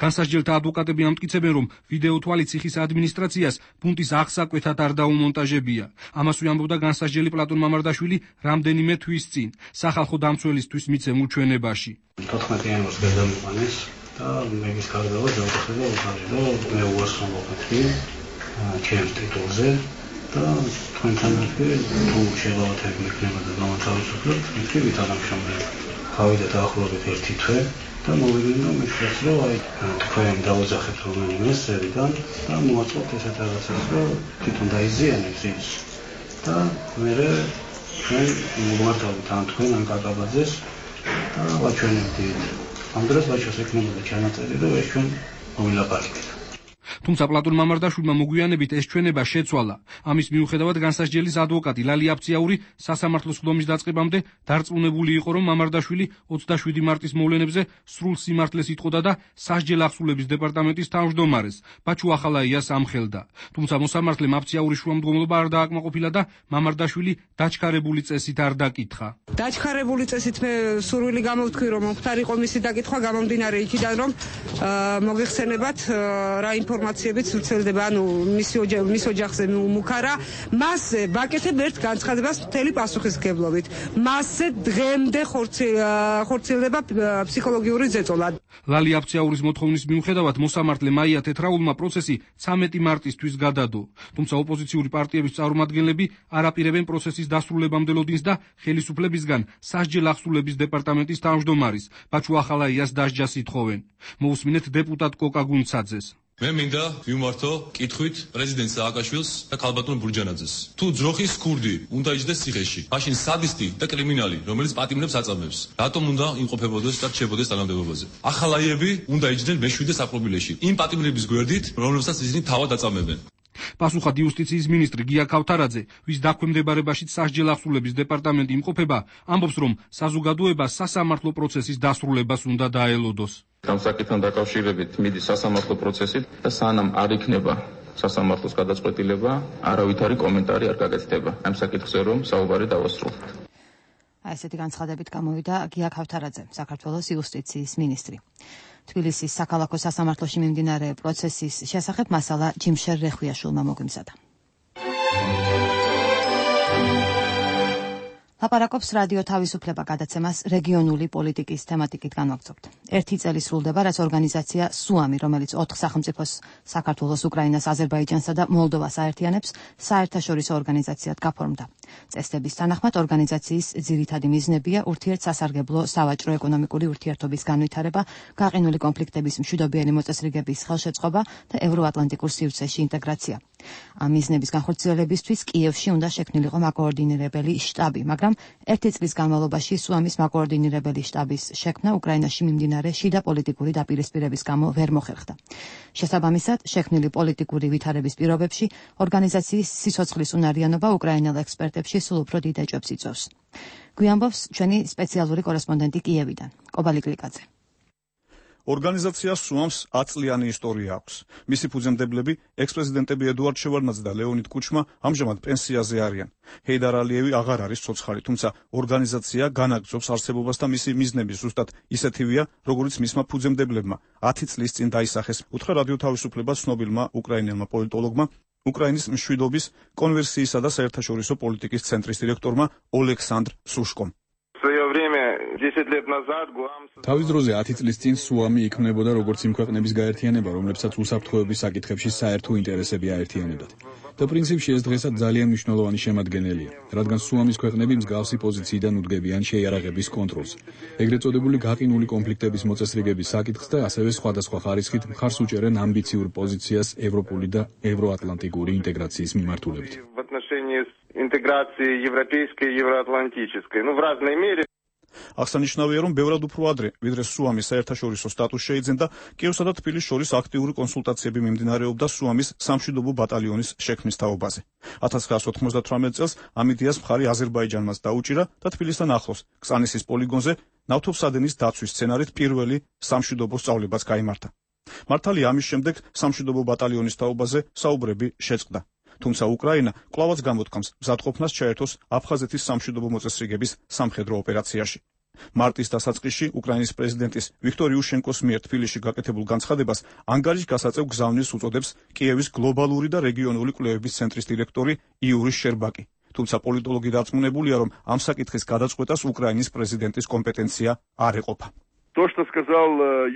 განსასჯელთა ადვოკატები ამტკიცებენ, რომ ვიდეოთვალი ციხის ადმინისტრაციას ბუნტის აღსაკვეთად არ დაუმონტაჟებია. ამას უამბობდა განსასჯელი პლატონ მამარდაშვილი რამდენიმე თვის წინ სახალხო დამცველისთვის მიცემულ ჩვენებაში. 14 იანვარს გადამიყვანეს და მე ის გარდავა დავუხსენე და მე უარსხომ ვაკეთე ჩემს ტიტულზე და თქვენთან ერთად თუ შეღავათები იქნება და გამათავისუფლებთ, იქ ვითანამშრომლებ. გავიდა დაახლოებით 1 თვე და მოვიდნენ რომ მითხრათ რომ აი თქვენ დაუძახეთ რომელიმე სერიდან და მოაწყობთ ესეთ რაღაცას რომ თვითონ დაიზიანებს ის და მე ჩვენ მოვმართავთ ან თქვენ ან კაკაბაძეს და ვაჩვენებთ ამ დროს ვაჩვენებთ ექნებოდა ჩანაწერი რომ ეს ჩვენ მოვილაპარაკეთ. თუმცა პლატონ მამარდაშვილმა მოგვიანებით ეს ჩვენება შეცვალა. ამის მიუხედავად განსასჯელის ადვოკატი ლალი აფციაური სასამართლოს ხდომის დაწყებამდე დარწმუნებული იყო, რომ მამარდაშვილი 27 მარტის მოვლენებზე სრულ სიმართლეს იტყოდა და სასჯელ ახსულების დეპარტამენტის თავმჯდომარეს ბაჩუ ახალაიას ამხელდა. თუმცა მოსამართლემ აფციაურის შუამდგომლობა არ დააკმაყოფილა და მამარდაშვილი დაჩქარებული წესით არ დაკითხა. დაჩქარებული წესით მე სურვილი გამოვთქვი, რომ მختار იყო მისი დაკითხვა გამომდინარე იქიდან, რომ მოგეხსენებათ რა ინფორმაციებიც ვრცელდება, ანუ მის ოჯახზე მუქარა, მასზე ვაკეთებ ერთ განცხადებას მთელი პასუხისმგებლობით. მასზე დღემდე ხორციელდება ფსიქოლოგიური ზეწოლა. ლალი აფციაურის მოთხოვნის მიუხედავად მოსამართლე მაია თეთრაულმა პროცესი 13 მარტისთვის გადადო. თუმცა ოპოზიციური პარტიების წარმომადგენლები არ აპირებენ პროცესის დასრულებამდე ლოდინს და ხელისუფლებისგან სასჯელ ახსულების დეპარტამენტის თავმჯდომარის ბაჩუ ახალაიას დასჯას ითხოვენ. მოусმინეთ დეპუტატ კოკა გუნცაძეს. მე მინდა ვიმართო კითხვით პრეზიდენტ სააკაშვილს და ქალბატონ ბურჯანაძეს. თუ ძროხის ქურდი უნდა იჯდეს ციხეში, მაშინ სადისტი და კრიმინალი, რომელიც პატიმრებს აწამებს, რატომ უნდა იმყოფებოდეს და რჩებოდეს თანამდებობაზე? ახალაიები უნდა იჯდნენ მეშვიდე საპრობილეში, იმ პატიმრების გვერდით, რომლებსაც ისინი თავად აწამებენ. პასუხად იუსტიციის მინისტრი გია ქავთარაძე, ვის დაქვემდებარებაშიც სასჯელ ახსულების დეპარტამენტი იმყოფება, ამბობს, რომ საზოგადოება სასამართლო პროცესის დასრულებას უნდა დაელოდოს. ამ საკითხთან დაკავშირებით მიდის სასამართლო პროცესით და სანამ არ იქნება სასამართლოს გადაწყვეტილება, არავითარი კომენტარი არ გაკეთდება. ამ საკითხზე რომ საუბარი დავასრულოთ. ესეთი განცხადებით გამოვიდა გია ქავთარაძე, საქართველოს იუსტიციის მინისტრი. თბილისის საქალაქო სასამართლოში მიმდინარე პროცესის შესახებ მასალა ჯიმშერ რეხვიაშვილმა მოგვიმზადა. ლაპარაკობს რადიო თავისუფლება გადაცემას რეგიონული პოლიტიკის თემატიკით განვაგრძობთ. 1 წელი სრულდება, რაც ორგანიზაცია სუამი, რომელიც 4 სახელმწიფოს საქართველოს, უკრაინას, აზერბაიჯანსა და მოლდოვას აერთიანებს, საერთაშორისო ორგანიზაციად გაფორმდა. წესდების თანახმად ორგანიზაციის ძირითადი მიზნებია ურთიერთსასარგებლო სავაჭრო ეკონომიკური ურთიერთობის განვითარება, გაყინული კონფლიქტების მშვიდობიანი მოწესრიგების ხელშეწყობა და ევროატლანტიკურ სივრცეში ინტეგრაცია. ამ მიზნების განხორციელებისთვის კიევში უნდა შექმნილიყო მაკოორდინირებელი შტაბი, მაგრამ 1 წლის განმავლობაში სუამის მაკოორდინირებელი შტაბის შექმნა უკრაინაში მიმდინარე შიდა პოლიტიკური დაპირისპირების გამო ვერ მოხერხდა. შესაბამისად, შექმნილი პოლიტიკური ვითარების პირობებში ორგანიზაციის სიცოცხლის უნარიანობა უკრაინელ ექსპერტებში სულ უფრო დიდ ეჭვებს იწვევს. გვიამბობს ჩვენი სპეციალური კორესპონდენტი კიევიდან, კობალი კლიკაძე. ორგანიზაცია სუამს 10 წლიანი ისტორია აქვს. მისი ფუძემდებლები, ექს-პრეზიდენტები ედუარდ შევარდნაძე და ლეონიდ კუჩმა ამჟამად პენსიაზე არიან. ჰეიდარ ალიევი აღარ არის ცოცხალი, თუმცა ორგანიზაცია განაგრძობს არსებობას და მისი მიზნები ზუსტად ისეთივეა, როგორც მისმა ფუძემდებლებმა 10 წლის წინ დაისახეს. უთხრა რადიო თავისუფლება ცნობილმა უკრაინელმა პოლიტოლოგმა, უკრაინის მშვიდობის, კონვერსიისა და საერთაშორისო პოლიტიკის ცენტრის დირექტორმა ოლექსანდრ სუშკომ. თავის დროზე 10 წლის წინ სუამი იქმნებოდა როგორც იმ ქვეყნების გაერთიანება, რომლებსაც უსაფრთხოების საკითხებში საერთო ინტერესები აერთიანებდათ. და პრინციპში ეს დღესაც ძალიან მნიშვნელოვანი შემადგენელია, რადგან სუამის ქვეყნები მსგავსი პოზიციიდან უდგებიან შეიარაღების კონტროლს. ეგრეთ წოდებული გაყინული კონფლიქტების მოწესრიგების საკითხს და ასევე სხვადასხვა ხარისხით მხარს უჭერენ ამბიციურ პოზიციას ევროპული და ევროატლანტიკური ინტეგრაციის მიმართულებით. Интеграции европейской и евроатлантической. В разной мере. აღსანიშნავია, რომ ბევრად უფრო ადრე, ვიდრე სუამის საერთაშორისო სტატუსი შეიძენდა, კიევსა და თბილისს შორის აქტიური კონსულტაციები მიმდინარეობდა სუამის სამშვიდობო ბატალიონის შექმნის თაობაზე. 1998 წელს ამ იდეას მხარი აზერბაიჯანმაც დაუჭირა და თბილისთან ახლოს, კსანისის პოლიგონზე ნავთობსადენის დაცვის სცენარით პირველი სამშვიდობო სწავლებაც გაიმართა. მართალია, ამის შემდეგ სამშვიდობო ბატალიონის თაობაზე საუბრები შეწყდა. თუმცა უკრაინა კვლავაც გამოთქვამს მზადყოფნას ჩაერთოს აფხაზეთის სამშვიდობო მოწესრიგების სამხედრო ოპერაციაში. მარტის დასაწყისში უკრაინის პრეზიდენტის ვიქტორ იუშენკოს მიერ თბილისში გაკეთებულ განცხადებას ანგარიშგასაწევ გზავნილს უწოდებს კიევის გლობალური და რეგიონული კვლევების ცენტრის დირექტორი იური შერბაკი. თუმცა პოლიტოლოგი დარწმუნებულია, რომ ამ საკითხის გადაწყვეტას უკრაინის პრეზიდენტის კომპეტენცია არ ეყოფა. То, что сказал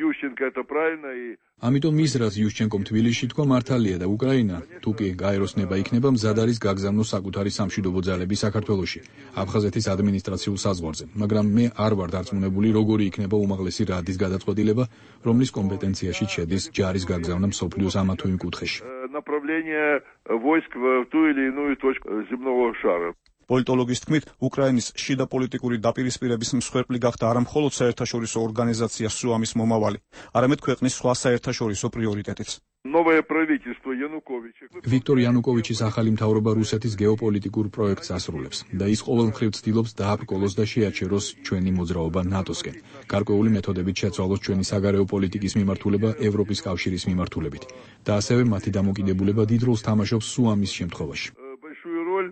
Ющенко, это правильно и ამიტომ ის რაც იუშჩენკომ თბილისში თქვა მართალია და უკრაინა თუ კი გაეროსნება იქნება მზად არის გაგზავნოს საკუთარი სამშვიდობო ძალები საქართველოში აფხაზეთის ადმინისტრაციულ საზღვარზე მაგრამ მე არ ვარ დარწმუნებული როგორი იქნება უმაღლესი რადის გადაწყვეტილება რომლის კომპეტენციაში შედის ჯარის გაგზავნა მსოფლიოს ამა თუ იმ კუთხეში направление войск в ту или иную точку земного шара პოლიტოლოგის თქმით, უკრაინის შიდა პოლიტიკური დაპირისპირების მსხვერპლი გახდა არა მხოლოდ საერთაშორისო ორგანიზაცია SUAMIS მომავალი, არამედ ქვეყნის სხვა საერთაშორისო პრიორიტეტიც. Новое правительство Януковича. ვიქტორ იანუკოვიჩის ახალი მთავრობა რუსეთის გეოპოლიტიკურ პროექტს ასრულებს და ის ყოველმხრივ ცდილობს დააბრკოლოს და შეაჩეროს ჩვენი მოძრაობა ნატოსკენ. გარკვეული მეთოდებით შეცვალოს ჩვენი საგარეო პოლიტიკის მიმართულება ევროპის კავშირის მიმართულებით და ასევე მათი დამოკიდებულება დიდ როლს თამაშობს SUAMIS შემთხვევაში. Большую роль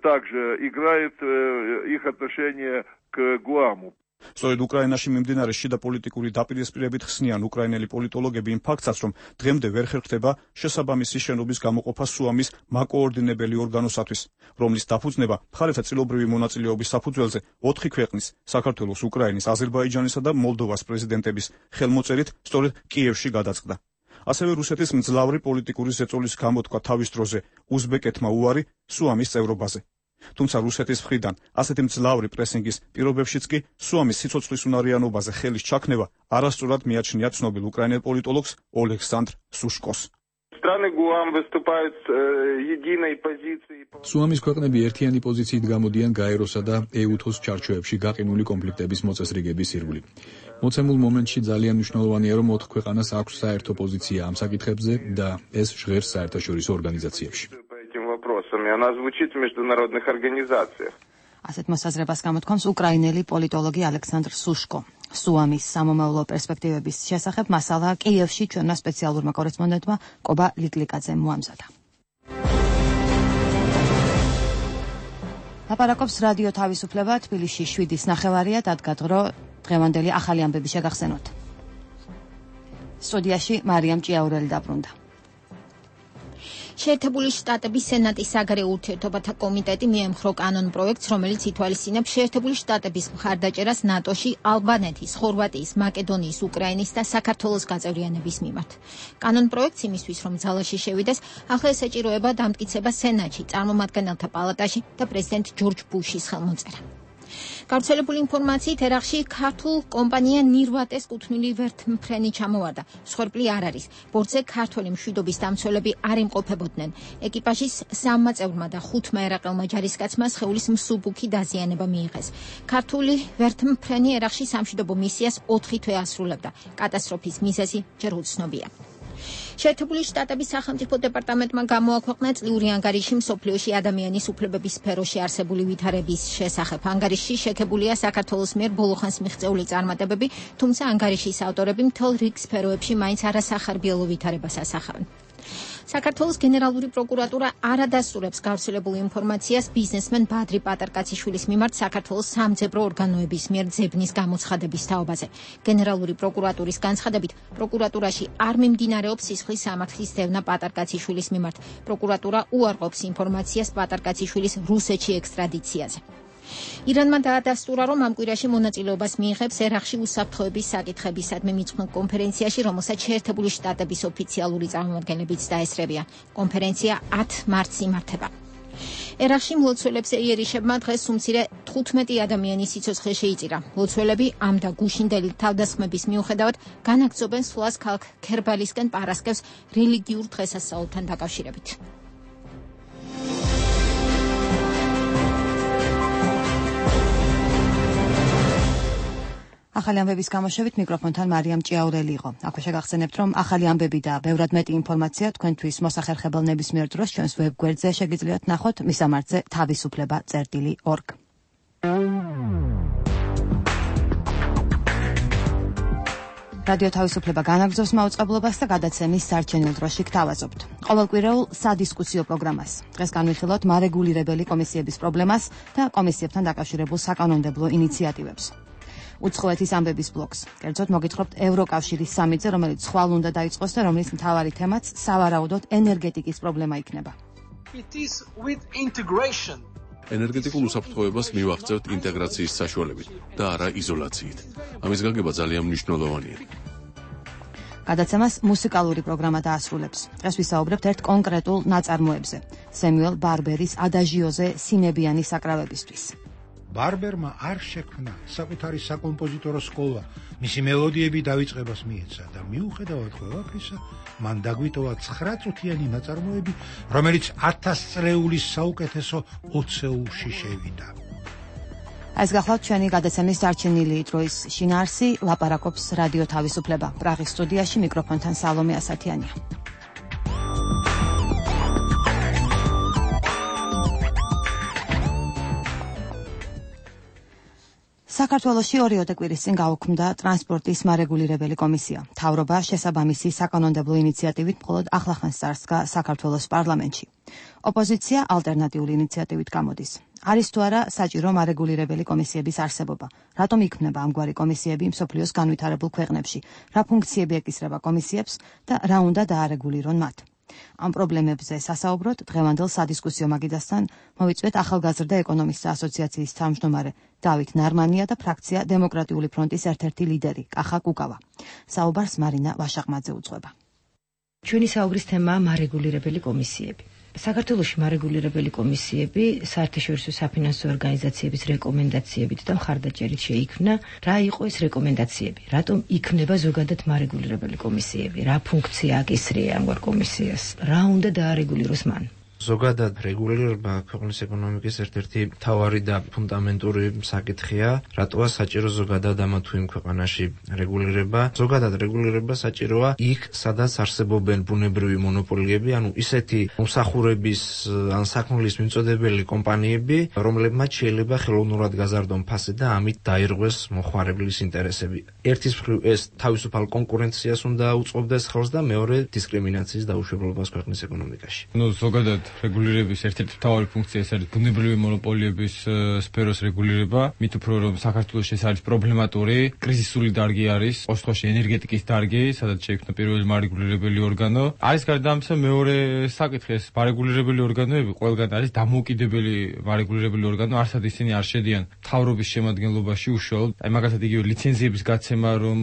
также играет их отношение к Гуаму. სწორედ უკრაინაში მიმდინარე შიდა პოლიტიკური დაპირისპირებით ხსნიან უკრაინელი პოლიტოლოგები იმ ფაქტსაც, რომ დღემდე ვერ ხერხდება შესაბამისი შენობის გამოყოფა SUAMIS მაკოორდინებელი ორგანოსათვის, რომლის დაფუძნება მხარეთა წილობრივი მონაწილეობის საფუძველზე 4 ქვეყნის, საქართველოს, უკრაინის, აზერბაიჯანისა და მოლდოვას პრეზიდენტების ხელმოწერით სწორედ კიევში გადაწყდა. ასევე რუსეთის მძლავრი პოლიტიკური ზეწოლის გამოთქვა თავის დროზე უზბეკეთმა უარი SUAMIS წევრობაზე. თუმცა რუსეთის მხრიდან ასეთი მძლავრი პრესინგის პირობებშიც კი SUAMIS სიცოცხლის უნარიანობაზე ხელის ჩაქნევა არასწორად მიაჩნია ცნობილ უკრაინელ პოლიტოლოგს ოლექსანდრ სუშკოს. Страны ГУАМ выступают с единой позицией. SUAMIS ქვეყნები ერთიანი პოზიციით გამოდიან გაეროსა და EUTHOS ჩარჩოებში გაყინული კონფლიქტების მოწესრიგების ირგვლივ. მოცემულ მომენტში ძალიან მნიშვნელოვანია, რომ 4 ქვეყანას აქვს საერთო პოზიცია ამ საკითხებზე და ეს ჟღერს საერთაშორისო ორგანიზაციებში. Она звучит в международных организациях. ასეთ მოსაზრებას გამოთქვამს უკრაინელი პოლიტოლოგი ალექსანდრ სუშკო. SUAMIS სამომავლო პერსპექტივების შესახებ მასალა კიევში ჩვენმა სპეციალურმა კორესპონდენტმა კობა ლიკლიკაძემ მოამზადა. ლაპარაკობს რადიო თავისუფლება თბილისში 7:09 დადგა დრო დღევანდელი ახალი ამბები შეგახსენოთ. სტუდიაში მარიამ ჭიაურელი დაბრუნდა. შეერთებული შტატების სენატის საგარეო ურთიერთობათა კომიტეტი მიემხრო კანონ პროექტს, რომელიც ითვალისწინებს შეერთებული შტატების მხარდაჭერას ნატოში ალბანეთის, ხორვატიის, მაკედონიის, უკრაინის და საქართველოს გაწევრიანების მიმართ. კანონ პროექტს იმისთვის, რომ ძალაში შევიდეს, ახლა ესაჭიროება დამტკიცება სენატში, წარმომადგენელთა პალატაში და პრეზიდენტ ჯორჯ ბუშის ხელმოწერა. გავრცელებული ინფორმაციით ერაყში ქართულ კომპანია ნირვატეს კუთვნილი ვერთმფრენი ჩამოვარდა. მსხვერპლი არ არის. ბორტზე ქართველი მშვიდობის დამცველები არ იმყოფებოდნენ. ეკიპაჟის 3 წევრმა და 5 ერაყელმა ჯარისკაცმა სხეულის მსუბუქი დაზიანება მიიღეს. ქართული ვერთმფრენი ერაყში სამშვიდობო მისიას 4 თვე ასრულებდა. კატასტროფის მიზეზი ჯერ უცნობია. შეერთებული შტატების სახელმწიფო დეპარტამენტმა გამოაქვეყნა წლიური ანგარიში მსოფლიოში ადამიანის უფლებების სფეროში არსებული ვითარების შესახებ. ანგარიშში შექებულია საქართველოს მიერ ბოლოხანს მიღწეული წარმატებები, თუმცა ანგარიშის ავტორები მთელ რიგ სფეროებში მაინც არასახარბიელო ვითარებას ასახავენ. საქართველოს გენერალური პროკურატურა არ ადასტურებს გავრცელებულ ინფორმაციას ბიზნესმენ ბადრი პატარკაციშვილის მიმართ საქართველოს სამძებრო ორგანოების მიერ ძებნის გამოცხადების თაობაზე. გენერალური პროკურატურის განცხადებით, პროკურატურაში არ მიმდინარეობს სისხლის სამართლის დევნა პატარკაციშვილის მიმართ. პროკურატურა უარყოფს ინფორმაციას პატარკაციშვილის რუსეთში ექსტრადიციაზე. ირანმა დაადასტურა, რომ ამ კვირაში მონაწილეობას მიიღებს ერაყში უსაფრთხოების საკითხებისადმი მიძღვნილ კონფერენციაში, რომელსაც შეერთებული შტატების ოფიციალური წარმომადგენლებიც დაესწრებიან. კონფერენცია 10 მარტს იმართება. ერაყში მლოცველებს იერიშებმა დღეს უმცირე 15 ადამიანის სიცოცხლე შეიწირა. მლოცველები ამ და გუშინდელი თავდასხმების მიუხედავად განაგრძობენ სვლას ქალაქ ქერბალისკენ პარასკევს რელიგიურ დღესასწაულთან დაკავშირებით. ახალი ამბების გამოშვებით მიკროფონთან მარიამ ჭიაურელი იყო. აქვე შეგახსენებთ, რომ ახალი ამბები და ბევრად მეტი ინფორმაცია თქვენთვის მოსახერხებელ ნებისმიერ დროს ჩვენს ვებგვერდზე შეგიძლიათ ნახოთ მისამართზე თავისუფლება.org. რადიო თავისუფლება განაგრძობს მაუწყებლობას და გადაცემის სარჩენილ დროში გთავაზობთ. ყოველკვირეულ სადისკუსიო პროგრამას. დღეს განვიხილოთ მარეგულირებელი კომისიების პრობლემას და კომისიებთან დაკავშირებულ საკანონმდებლო ინიციატივებს. უცხოეთის ამბების ბლოკს. კერძოდ მოგითხრობთ ევროკავშირის სამიტზე, რომელიც ხვალ უნდა დაიწყოს და რომლის მთავარი თემაც სავარაუდოდ ენერგეტიკის პრობლემა იქნება. It is with integration ენერგეტიკულ უსაფრთხოებას მივაღწევთ ინტეგრაციის საშუალებით და არა იზოლაციით. ამის გაგება ძალიან მნიშვნელოვანია. გადაცემას მუსიკალური პროგრამა დაასრულებს. დღეს ვისაუბრებთ ერთ კონკრეტულ ნაწარმოებზე, სემიუელ ბარბერის ადაჟიოზე სინებიანი საკრავებისთვის. ბარბერმა არ შექმნა საკუთარი საკომპოზიტორო სკოლა, მისი მელოდიები დავიწყებას მიეცა და მიუხედავად ყველაფრისა, მან დაგვიტოვა 9 წუთიანი ნაწარმოები, რომელიც 1000 წლეულის საუკეთესო ოცეულში შევიდა. ეს გახლავთ ჩვენი გადაცემის დარჩენილი დროის შინაარსი, ლაპარაკობს რადიო თავისუფლება. პრაღის სტუდიაში მიკროფონთან სალომე ასათიანია. საქართველოში 2 კვირის წინ გაუქმდა ტრანსპორტის მარეგულირებელი კომისია. მთავრობა შესაბამისი საკანონმდებლო ინიციატივით მხოლოდ ახლახანს წარსდგა საქართველოს პარლამენტში. ოპოზიცია ალტერნატიული ინიციატივით გამოდის. არის თუ არა საჭირო მარეგულირებელი კომისიების არსებობა? რატომ იქმნება ამგვარი კომისიები მსოფლიოს განვითარებულ ქვეყნებში? რა ფუნქციები ეკისრება კომისიებს და რა უნდა დაარეგულირონ მათ? ამ პრობლემებზე სასაუბროდ დღევანდელ სადისკუსიო მაგიდასთან მოვიწვიეთ ახალგაზრდა ეკონომისტთა ასოციაციის თავმჯდომარე დავით ნარმანია და ფრაქცია დემოკრატიული ფრონტის ერთ-ერთი ლიდერი კახა კუკავა. საუბარს მარინა ვაშაყმაძე უძღვება. ჩვენი საუბრის თემაა მარეგულირებელი კომისიები. საქართველოში მარეგულირებელი კომისიები საერთაშორისო საფინანსო ორგანიზაციების რეკომენდაციებით და მხარდაჭერით შეიქმნა. რა იყო ეს რეკომენდაციები? რატომ იქნება ზოგადად მარეგულირებელი კომისიები? რა ფუნქცია აკისრია ამგვარ კომისიას? რა უნდა დაარეგულიროს მან? ზოგადად რეგულირება ქვეყნის ეკონომიკის ერთ-ერთი მთავარი და ფუნდამენტური საკითხია. რატოა საჭირო ზოგადად ამა თუ იმ ქვეყანაში რეგულირება? ზოგადად რეგულირება საჭიროა იქ, სადაც არსებობენ ბუნებრივი მონოპოლიები, ანუ ისეთი მომსახურების ან საქმის მიმწოდებელი კომპანიები, რომლებმაც შეიძლება ხელოვნურად გაზარდონ ფასი და ამით დაირღვეს მოხმარებლის ინტერესები. ერთის მხრივ ეს თავისუფალ კონკურენციას უნდა უწყობდეს ხელს და მეორე დისკრიმინაციის დაუშვებლობას ქვეყნის ეკონომიკაში. ზოგადად რეგულირების ერთ-ერთი მთავარი ფუნქცია ეს არის ბუნებრივი მონოპოლიების სფეროს რეგულირება. მით უფრო რომ საქართველოში ეს არის პრობლემატური, კრიზისული დარგი არის, ოშთოში ენერგეტიკის დარგი, სადაც შეიქმნა პირველი მარეგულირებელი ორგანო. არის გარდა ამისა მეორე საკითხი, ეს მარეგულირებელი ორგანოები ყველგან არის დამოუკიდებელი მარეგულირებელი ორგანო, არსად ისინი არ შედიან მთავრობის შემადგენლობაში უშუალოდ. აი მაგალითად იგივე ლიცენზიების გაცემა რომ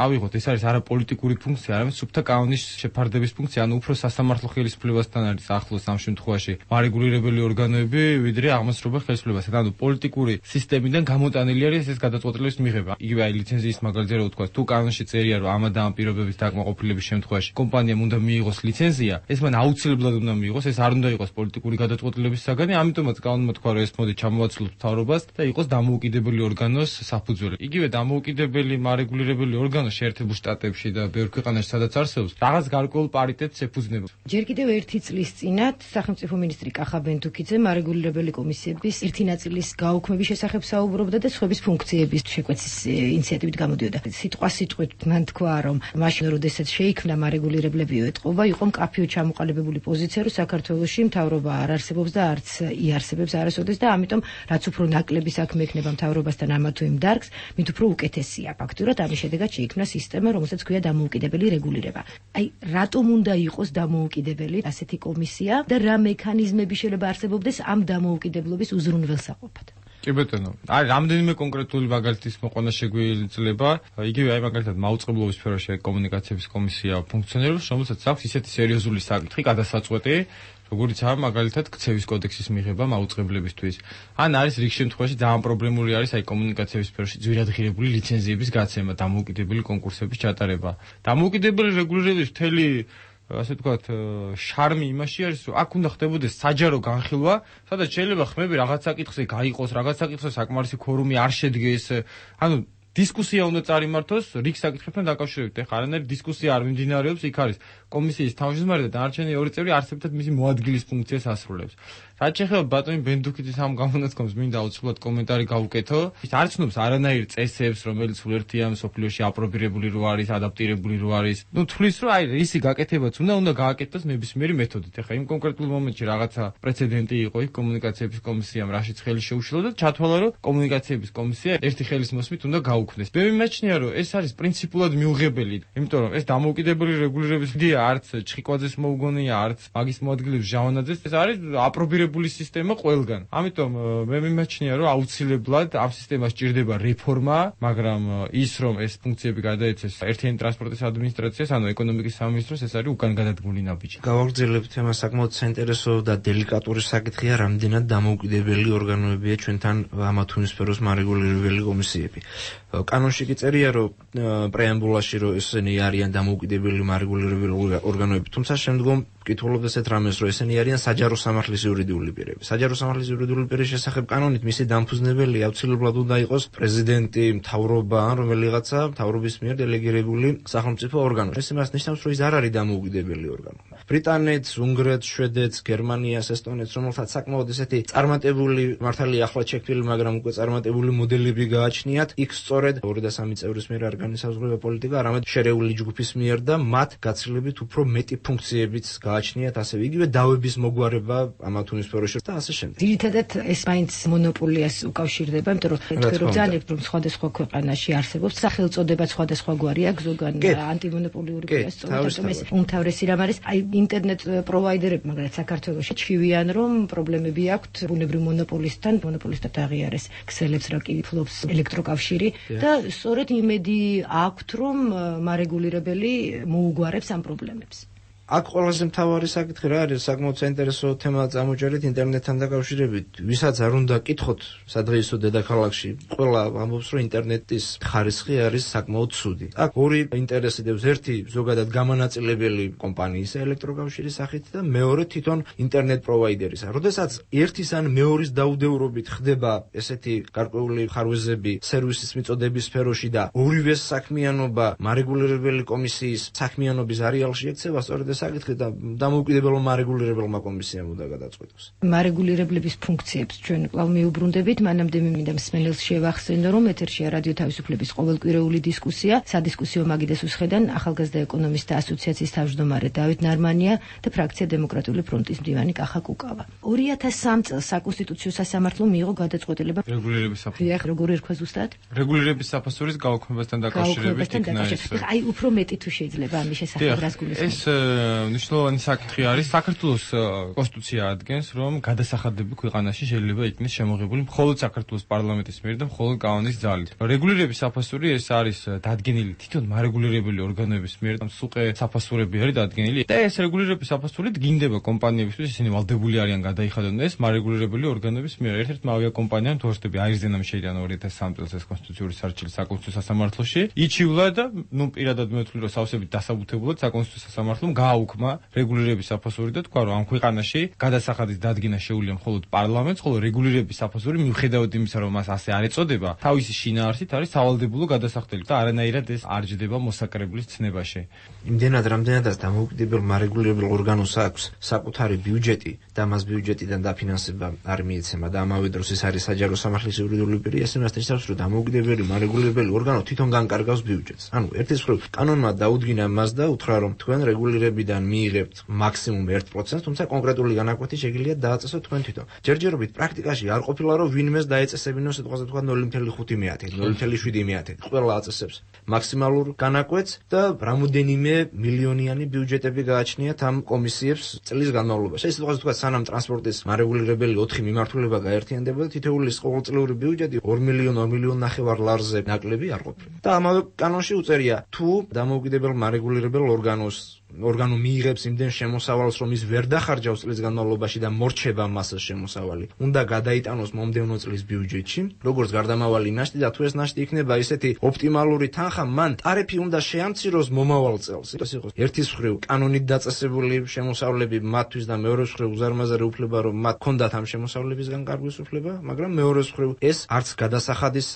ავიღოთ, ეს არის არა პოლიტიკური ფუნქცია, არამედ სუფთა კანონის შეფარდების ფუნქცია, ანუ უფრო სასამართლო ხელისუფლებასთან არის ახლოს ამ შემთხვევაში მარეგულირებელი ორგანოები, ვიდრე აღმასრულებელ ხელისუფლებასთან. ანუ პოლიტიკური სისტემიდან გამოტანილი არის ეს გადაწყვეტილების მიღება. იგივე აი ლიცენზიის მაგალითზე რო ვთქვა, თუ კანონში წერია რომ ამ და ამ პირობების დაკმაყოფილების შემთხვევაში კომპანიამ უნდა მიიღოს ლიცენზია, ეს მან აუცილებლად უნდა მიიღოს, ეს არ უნდა იყოს პოლიტიკური გადაწყვეტილების საგანი, ამიტომაც კანონმა თქვა რომ ეს მოდი ჩამოვაცილოთ მთავრობას და იყოს დამოუკიდებელი ორგანოს საფუძველი. იგივე დამოუკიდებელი მარეგულირებელი ორგანო შეერთებულ შტატებში და ბევრ ქვეყანაში სადაც არსებობს, რაღაც გარკვეულ პარიტეტს ეფუძნება. ჯერ კიდევ ერთი წლის წინათ სახელმწიფო მინისტრი კახა ბენდუქიძე მარეგულირებელი კომისიების ერთი ნაწილის გაუქმების შესახებ საუბრობდა და სხვების ფუნქციების შეკვეცის ინიციატივით გამოდიოდა. სიტყვასიტყვით მან თქვა, რომ მაშინ როდესაც შეიქმნა მარეგულირებლები ეტყობა, იყო მკაფიო ჩამოყალიბებული პოზიცია, რომ საქართველოში მთავრობა არ არსებობს და არც იარსებებს არასოდეს და ამიტომ რაც უფრო ნაკლები საქმე ექნება მთავრობასთან ამა თუ იმ დარგს, მით უფრო უკეთესია. ფაქტურად ამის შედეგად შეიქმნა სისტემა, რომელსაც ქვია დამოუკიდებელი რეგულირება. აი, რატომ უნდა იყოს დამოუკიდებელი ასეთი კომისია და რა მექანიზმები შეიძლება არსებობდეს ამ დამოუკიდებლობის უზრუნველსაყოფად? კი ბატონო, არის რამდენიმე კონკრეტული მაგალითის მოყვანა შეგვიძლია. იგივე აი მაგალითად მაუწყებლობის სფეროში კომუნიკაციების კომისია ფუნქციონირებს, რომელსაც აქვს ისეთი სერიოზული საკითხი, გადასაწყვეტი, როგორიცაა მაგალითად ქცევის კოდექსის მიღება მაუწყებლებისთვის. ან არის რიგ შემთხვევაში ძალიან პრობლემური არის აი კომუნიკაციების სფეროში ძვირადღირებული ლიცენზიების გაცემა, დამოუკიდებელი კონკურსების ჩატარება. დამოუკიდებელი რეგულირების მთელი ასე ვთქვათ, შარმი იმაში არის, რომ აქ უნდა ხდებოდეს საჯარო განხილვა, სადაც შეიძლება ხმები რაღაც საკითხზე გაიყოს, რაღაც საკითხზე საკმარისი ქორუმი არ შედგეს. ანუ დისკუსია უნდა წარიმართოს რიგ საკითხებთან დაკავშირებით. ეხლა არანაირი დისკუსია არ მიმდინარეობს, იქ არის კომისიის თავმჯდომარე და დანარჩენი ორი წევრი არსებითად მისი მოადგილის ფუნქციას ასრულებს. რაც შეეხება ბატონი ბენდუქიძის ამ გამონათქვამს, მინდა აუცილებლად კომენტარი გავუკეთო. ის არ ცნობს არანაირ წესებს, რომელიც უერთია მსოფლიოში აპრობირებული რო არის, ადაპტირებული რო არის. ნუ თვლის, რომ აი რისი გაკეთებაც უნდა გააკეთოს ნებისმიერი მეთოდით. ეხლა იმ კონკრეტულ მომენტში რაღაცა პრეცედენტი იყო იქ კომუნიკაციების კომისიამ, რაშიც ხელი შეუშალა და ჩათვალა, რომ კომუნიკაციების კომისია ერთი ხელის მოსმით უნდა გაუქმდეს. გაუქმდეს. მე მიმაჩნია, რომ ეს არის პრინციპულად მიუღებელი, იმიტომ რომ ეს დამოუკიდებელი რეგულირების იდეა არც ჩხიკვაძეს მოუგონია, არც მაგის მოადგილეებს ჟავანაძეს, ეს არის აპრობირებული სისტემა ყველგან. ამიტომ მე მიმაჩნია, რომ აუცილებლად ამ სისტემას ჭირდება რეფორმა, მაგრამ ის რომ ეს ფუნქციები გადაეცეს ერთიანი ტრანსპორტის ადმინისტრაციას, ანუ ეკონომიკის სამინისტროს, ეს არის უკან გადადგმული ნაბიჯი. გავაგრძელებთ თემა საკმაოდ საინტერესო და დელიკატური საკითხია, რამდენად დამოუკიდებელი ორგანოებია ჩვენთან ამა თუ იმ სფეროს მარეგულირებელი კომისიები. კანონში კი წერია, რომ პრეამბულაში რომ ესენი არიან დამოუკიდებელი მარეგულირებელი ორგანოები, თუმცა შემდგომ კითხულობთ ესეთ რამეს, რომ ესენი არიან საჯარო სამართლის იურიდიული პირები. საჯარო სამართლის იურიდიული პირის შესახებ კანონით მისი დამფუძნებელი აუცილებლად უნდა იყოს პრეზიდენტი, მთავრობა ან რომელიღაცა მთავრობის მიერ დელეგირებული სახელმწიფო ორგანო. ეს იმას ნიშნავს, რომ ის არ არის დამოუკიდებელი ორგანო. ბრიტანეთს, უნგრეთს, შვედეთს, გერმანიას, ესტონეთს, რომელთაც საკმაოდ ესეთი წარმატებული, მართალია ახლად შექმნილი, მაგრამ უკვე წარმატებული მოდელები გააჩნიათ, იქ სწორედ 2-3 წევრის მიერ არ განისაზღვრება პოლიტიკა, არამედ შერეული ჯგუფის მიერ და მათ გაცილებით უფრო მეტი ფუნქციებიც გააჩნიათ, ასევე იგივე დავების მოგვარება ამა თუ იმ სფეროში და ასე შემდეგ. ძირითადად ეს მაინც მონოპოლიას უკავშირდება, იმიტომ რომ თქვენ რომ ძალებთ, რომ სხვადასხვა ქვეყანაში არსებობს სახელწოდება სხვადასხვა გვარი აქვს, ზოგან ანტიმონოპოლიური პირას სწორედ ეს უმთავრესი რამ არის, აი ინტერნეტ პროვაიდერები, მაგრამ საქართველოში ჩივიან, რომ პრობლემები აქვთ ბუნებრივ მონოპოლისტთან, მონოპოლისტად აღიარეს ქსელებს რა კი ფლობს ელექტროკავშირი და სწორედ იმედი აქვთ, რომ მარეგულირებელი მოუგვარებს ამ პრობლემებს. აქ ყველაზე მთავარი საკითხი რა არის, საკმაოდ საინტერესო თემა წამოჭერეთ ინტერნეტთან დაკავშირებით. ვისაც არ უნდა კითხოთ სადღეისო დედაქალაქში, ყველა ამბობს, რომ ინტერნეტის ხარისხი არის საკმაოდ ცუდი. აქ ორი ინტერესი დევს, ერთი ზოგადად გამანაწილებელი კომპანიის ელექტროკავშირის სახით და მეორე თვითონ ინტერნეტ პროვაიდერისა. როდესაც ერთის ან მეორის დაუდევრობით ხდება ესეთი გარკვეული ხარვეზები სერვისის მიწოდების სფეროში და ორივეს საქმიანობა მარეგულირებელი კომისიის საქმიანობის არეალში ექცევა, სწორედ საკითხი და დამოუკიდებელმა მარეგულირებელმა კომისიამ უნდა გადაწყვეტოს. მარეგულირებლების ფუნქციებს ჩვენ კვლავ მიუბრუნდებით, მანამდე მინდა მსმენელს შევახსენო, რომ ეთერშია რადიო თავისუფლების ყოველკვირეული დისკუსია, სადისკუსიო მაგიდეს უსხედან ახალგაზრდა ეკონომისტთა ასოციაციის თავმჯდომარე დავით ნარმანია და ფრაქცია დემოკრატიული ფრონტის მდივანი კახა კუკავა. 2003 წელს საკონსტიტუციო სასამართლომ მიიღო გადაწყვეტილება რეგულირების საფასურის. როგორ ერქვა ზუსტად? რეგულირების საფასურის გაუქმებასთან დაკავშირებით იქნა ეს. აი უფრო მეტი თუ შეიძლება ამის შესახებ რას გულისხმობთ? მნიშვნელოვანი საკითხი არის. საქართველოს კონსტიტუცია ადგენს, რომ გადასახადები ქვეყანაში შეიძლება იქნეს შემოღებული მხოლოდ საქართველოს პარლამენტის მიერ და მხოლოდ კანონის ძალით. რეგულირების საფასური ეს არის დადგენილი თვითონ მარეგულირებელი ორგანოების მიერ, სუყე საფასურები არის დადგენილი და ეს რეგულირების საფასური დგინდება კომპანიებისთვის, ისინი ვალდებული არიან გადაიხადონ ეს მარეგულირებელი ორგანოების მიერ. ერთ-ერთმა ავიაკომპანიამ თორსტები აირზენამ შეიტანა 2003 წელს ეს კონსტიტუციური სარჩელი საკონსტიტუციო სასამართლოში. იჩივლა და პირადად მე ვთვლი, რომ სავსებით დასაბუთებულად საკონსტიტუციო სასამართლომ გააუქმა რეგულირების საფასური და თქვა, რომ ამ ქვეყანაში გადასახადის დადგენა შეუძლია მხოლოდ პარლამენტს, ხოლო რეგულირების საფასური მიუხედავად იმისა, რომ მას ასე არ ეწოდება, თავისი შინაარსით არის სავალდებულო გადასახდელი და არანაირად ეს არ ჯდება მოსაკრებლის ცნებაში. იმდენად რამდენადაც დამოუკიდებელ მარეგულირებელ ორგანოს აქვს საკუთარი ბიუჯეტი და მას ბიუჯეტიდან დაფინანსება არ მიეცემა და ამავე დროს ეს არის საჯარო სამართლის იურიდიული პირი, ეს იმას ნიშნავს, რომ დამოუკიდებელი მარეგულირებელი ორგანო თვითონ განკარგავს ბიუჯეტს. ანუ ერთის მხრივ კანონმა დაუდგინა მას და უთხრა, რომ თქვენ რეგულირებიდან მიიღებთ მაქსიმუმ 1%, თუმცა კონკრეტული განაკვეთი შეგიძლია დააწესოთ თქვენ თვითონ. ჯერჯერობით პრაქტიკაში არ ყოფილა, რომ ვინმეს დაეწესებინოს სიტყვაზე თქვა 0.5, 0.7. ყველა აწესებს მაქსიმალურ განაკვეთს და რამოდენიმე მილიონიანი ბიუჯეტები გააჩნიათ ამ კომისიებს წლის განმავლობაში. ეს სიტყვაზე თქვა, სანამ ტრანსპორტის მარეგულირებელი 4 მიმართულება გაერთიანდებოდა, თითოეულის ყოველწლიური ბიუჯეტი 2 მილიონ 2 მილიონ ნახევარ ლარზე ნაკლები არ ყოფილა. და ამავე კანონში უწერია, თუ დამოუკიდებელ მარეგულირებელ ორგანო მიიღებს იმდენ შემოსავალს, რომ ის ვერ დახარჯავს წლის განმავლობაში და მორჩება მასას შემოსავალი, უნდა გადაიტანოს მომდევნო წლის ბიუჯეტში, როგორც გარდამავალი ნაშთი და თუ ეს ნაშთი იქნება ისეთი ოპტიმალური თანხა, მან ტარიფი უნდა შეამციროს მომავალ წელს. ეს იყოს ერთის მხრივ კანონით დაწესებული შემოსავლები მათთვის და მეორეს მხრივ უზარმაზარი უფლება, რომ მათ ჰქონდათ ამ შემოსავლებისგან გარგვის უფლება, მაგრამ მეორეს მხრივ ეს არც გადასახადის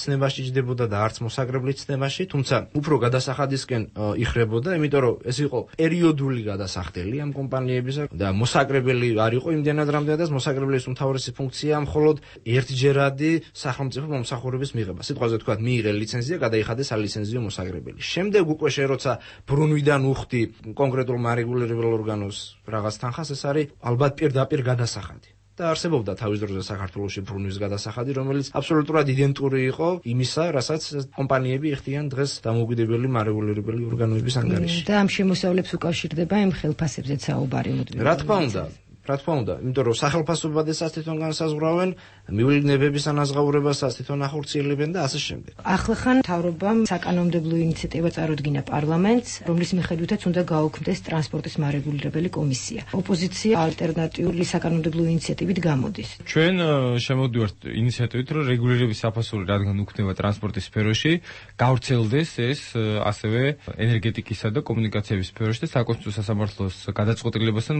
ცნებაში ჯდებოდა და არც მოსაკრებლის ცნებაში, თუმცა უფრო გადასახადისკენ იხრებოდა, იმიტომ რომ ეს იყო პერიოდული გადასახდელი ამ კომპანიებისა და მოსაკრებელი არ იყო იმდენად რამდენადაც მოსაკრებლის უმთავრესი ფუნქცია მხოლოდ ერთჯერადი სახელმწიფო მომსახურების მიღება. სიტყვაზე თქვა, მიიღე ლიცენზია, გადაიხადეს ალიცენზიო მოსაკრებელი. შემდეგ უკვე როცა ბრუნვიდან უხდი კონკრეტულ მარეგულირებელ ორგანოს რაღაც თანხას, ეს არის ალბათ პირდაპირ გადასახადი. და არსებობდა თავის დროზე საქართველოში ბრუნვის გადასახადი, რომელიც აბსოლუტურად იდენტური იყო იმისა, რასაც კომპანიები იხდიან დღეს დამოუკიდებელი მარეგულირებელი ორგანოების ანგარიში. და ამ შემოსავლებს უკავშირდება იმ ხელფასებზეც საუბარი. რა თქმა უნდა, იმიტომ რომ სახელფასობასაც თვითონ განსაზღვრავენ, მივლინებების ანაზღაურებასაც თვითონ ახორციელებენ და ასე შემდეგ. ახლახან მთავრობამ საკანონმდებლო ინიციატივა წარუდგინა პარლამენტს, რომლის მიხედვითაც უნდა გაუქმდეს ტრანსპორტის მარეგულირებელი კომისია. ოპოზიცია ალტერნატიული საკანონმდებლო ინიციატივით გამოდის. ჩვენ შემოვდივართ ინიციატივით, რომ რეგულირების საფასური რადგან უქმდება ტრანსპორტის სფეროში, გავრცელდეს ეს ასევე ენერგეტიკისა და კომუნიკაციების სფეროში და საკონსტიტუციო სასამართლოს გადაწყვეტილებასთან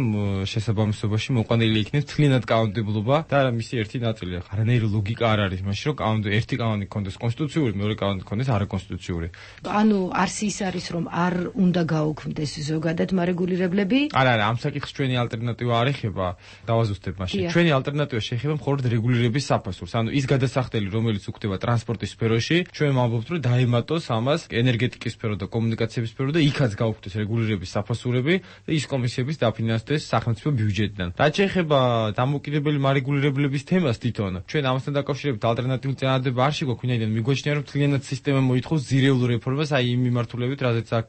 შესაბამისობაში მოყვანილი იქნეს თლიანად კანონმდებლობა და მისი ერთი ნაწილი. არანაირი ლოგიკა არ არის მაშინ, რომ ერთი კანონი ქონდეს კონსტიტუციური, მეორე კანონი ქონდეს არაკონსტიტუციური. ანუ არც ის არის, რომ არ უნდა გაუქმდეს ზოგადად მარეგულირებლები? არა, ამ საკითხს ჩვენი ალტერნატივა არ ეხება, დავაზუსტებ მაშინ. ჩვენი ალტერნატივა შეეხება მხოლოდ რეგულირების საფასურს. ანუ ის გადასახდელი, რომელიც უქმდება ტრანსპორტის სფეროში, ჩვენ ვამბობთ, რომ დაემატოს ამას ენერგეტიკის სფერო და კომუნიკაციების სფერო და იქაც გაუქმდეს რეგულირების საფასურები და ის კომისიების დაფინანსდეს სახელმწიფო ბიუჯეტიდან. რაც შეეხება დამოუკიდებელი მარეგულირებლების თემას თვითონ, ჩვენ ამასთან დაკავშირებით ალტერნატიული წინადადება არ შეგვაქვს, ვინაიდან მიგვაჩნია, რომ თლიანად სისტემა მოითხოვს ძირეულ რეფორმას, აი იმ მიმართულებით, რაზეც აქ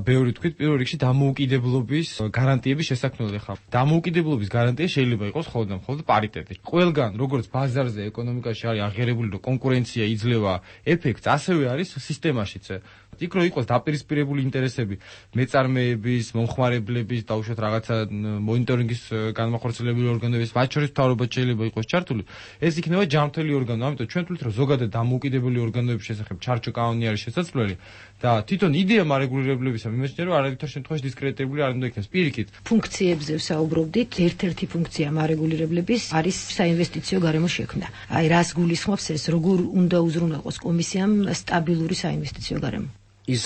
ბევრი თქვით, პირველ რიგში დამოუკიდებლობის გარანტიების შესაქმნელი ხარ. დამოუკიდებლობის გარანტია შეიძლება იყოს მხოლოდ პარიტეტი. ყველგან, როგორც ბაზარზე, ეკონომიკაში არის აღიარებული, რომ კონკურენცია იძლევა ეფექტს, ასევე არის სისტემაშიც. იქ რო იყოს დაპირისპირებული ინტერესები მეწარმეების, მომხმარებლების, დაუშვათ რაღაცა მონიტორინგის განმახორციელებელი ორგანოების, მათ შორის მთავრობა შეიძლება იყოს ჩართული, ეს იქნება ჯანმრთელი ორგანო. ამიტომ ჩვენ თვლით, რომ ზოგადად დამოუკიდებელი ორგანოების შესახებ ჩარჩო კანონი არის შესაძლებელი და თვითონ იდეა მარეგულირებლებისა მიმაჩნია, რომ არავითარ შემთხვევაში დისკრედიტებული არ უნდა იქნას. პირიქით, ფუნქციებზე ვსაუბრობდით, ერთ-ერთი ფუნქცია მარეგულირებლების არის საინვესტიციო გარემო შექმნა. აი რას გულისხმობს ეს, როგორ უნდა უზრუნველყოს კომისიამ სტაბილური საინვესტიციო გარემო? ის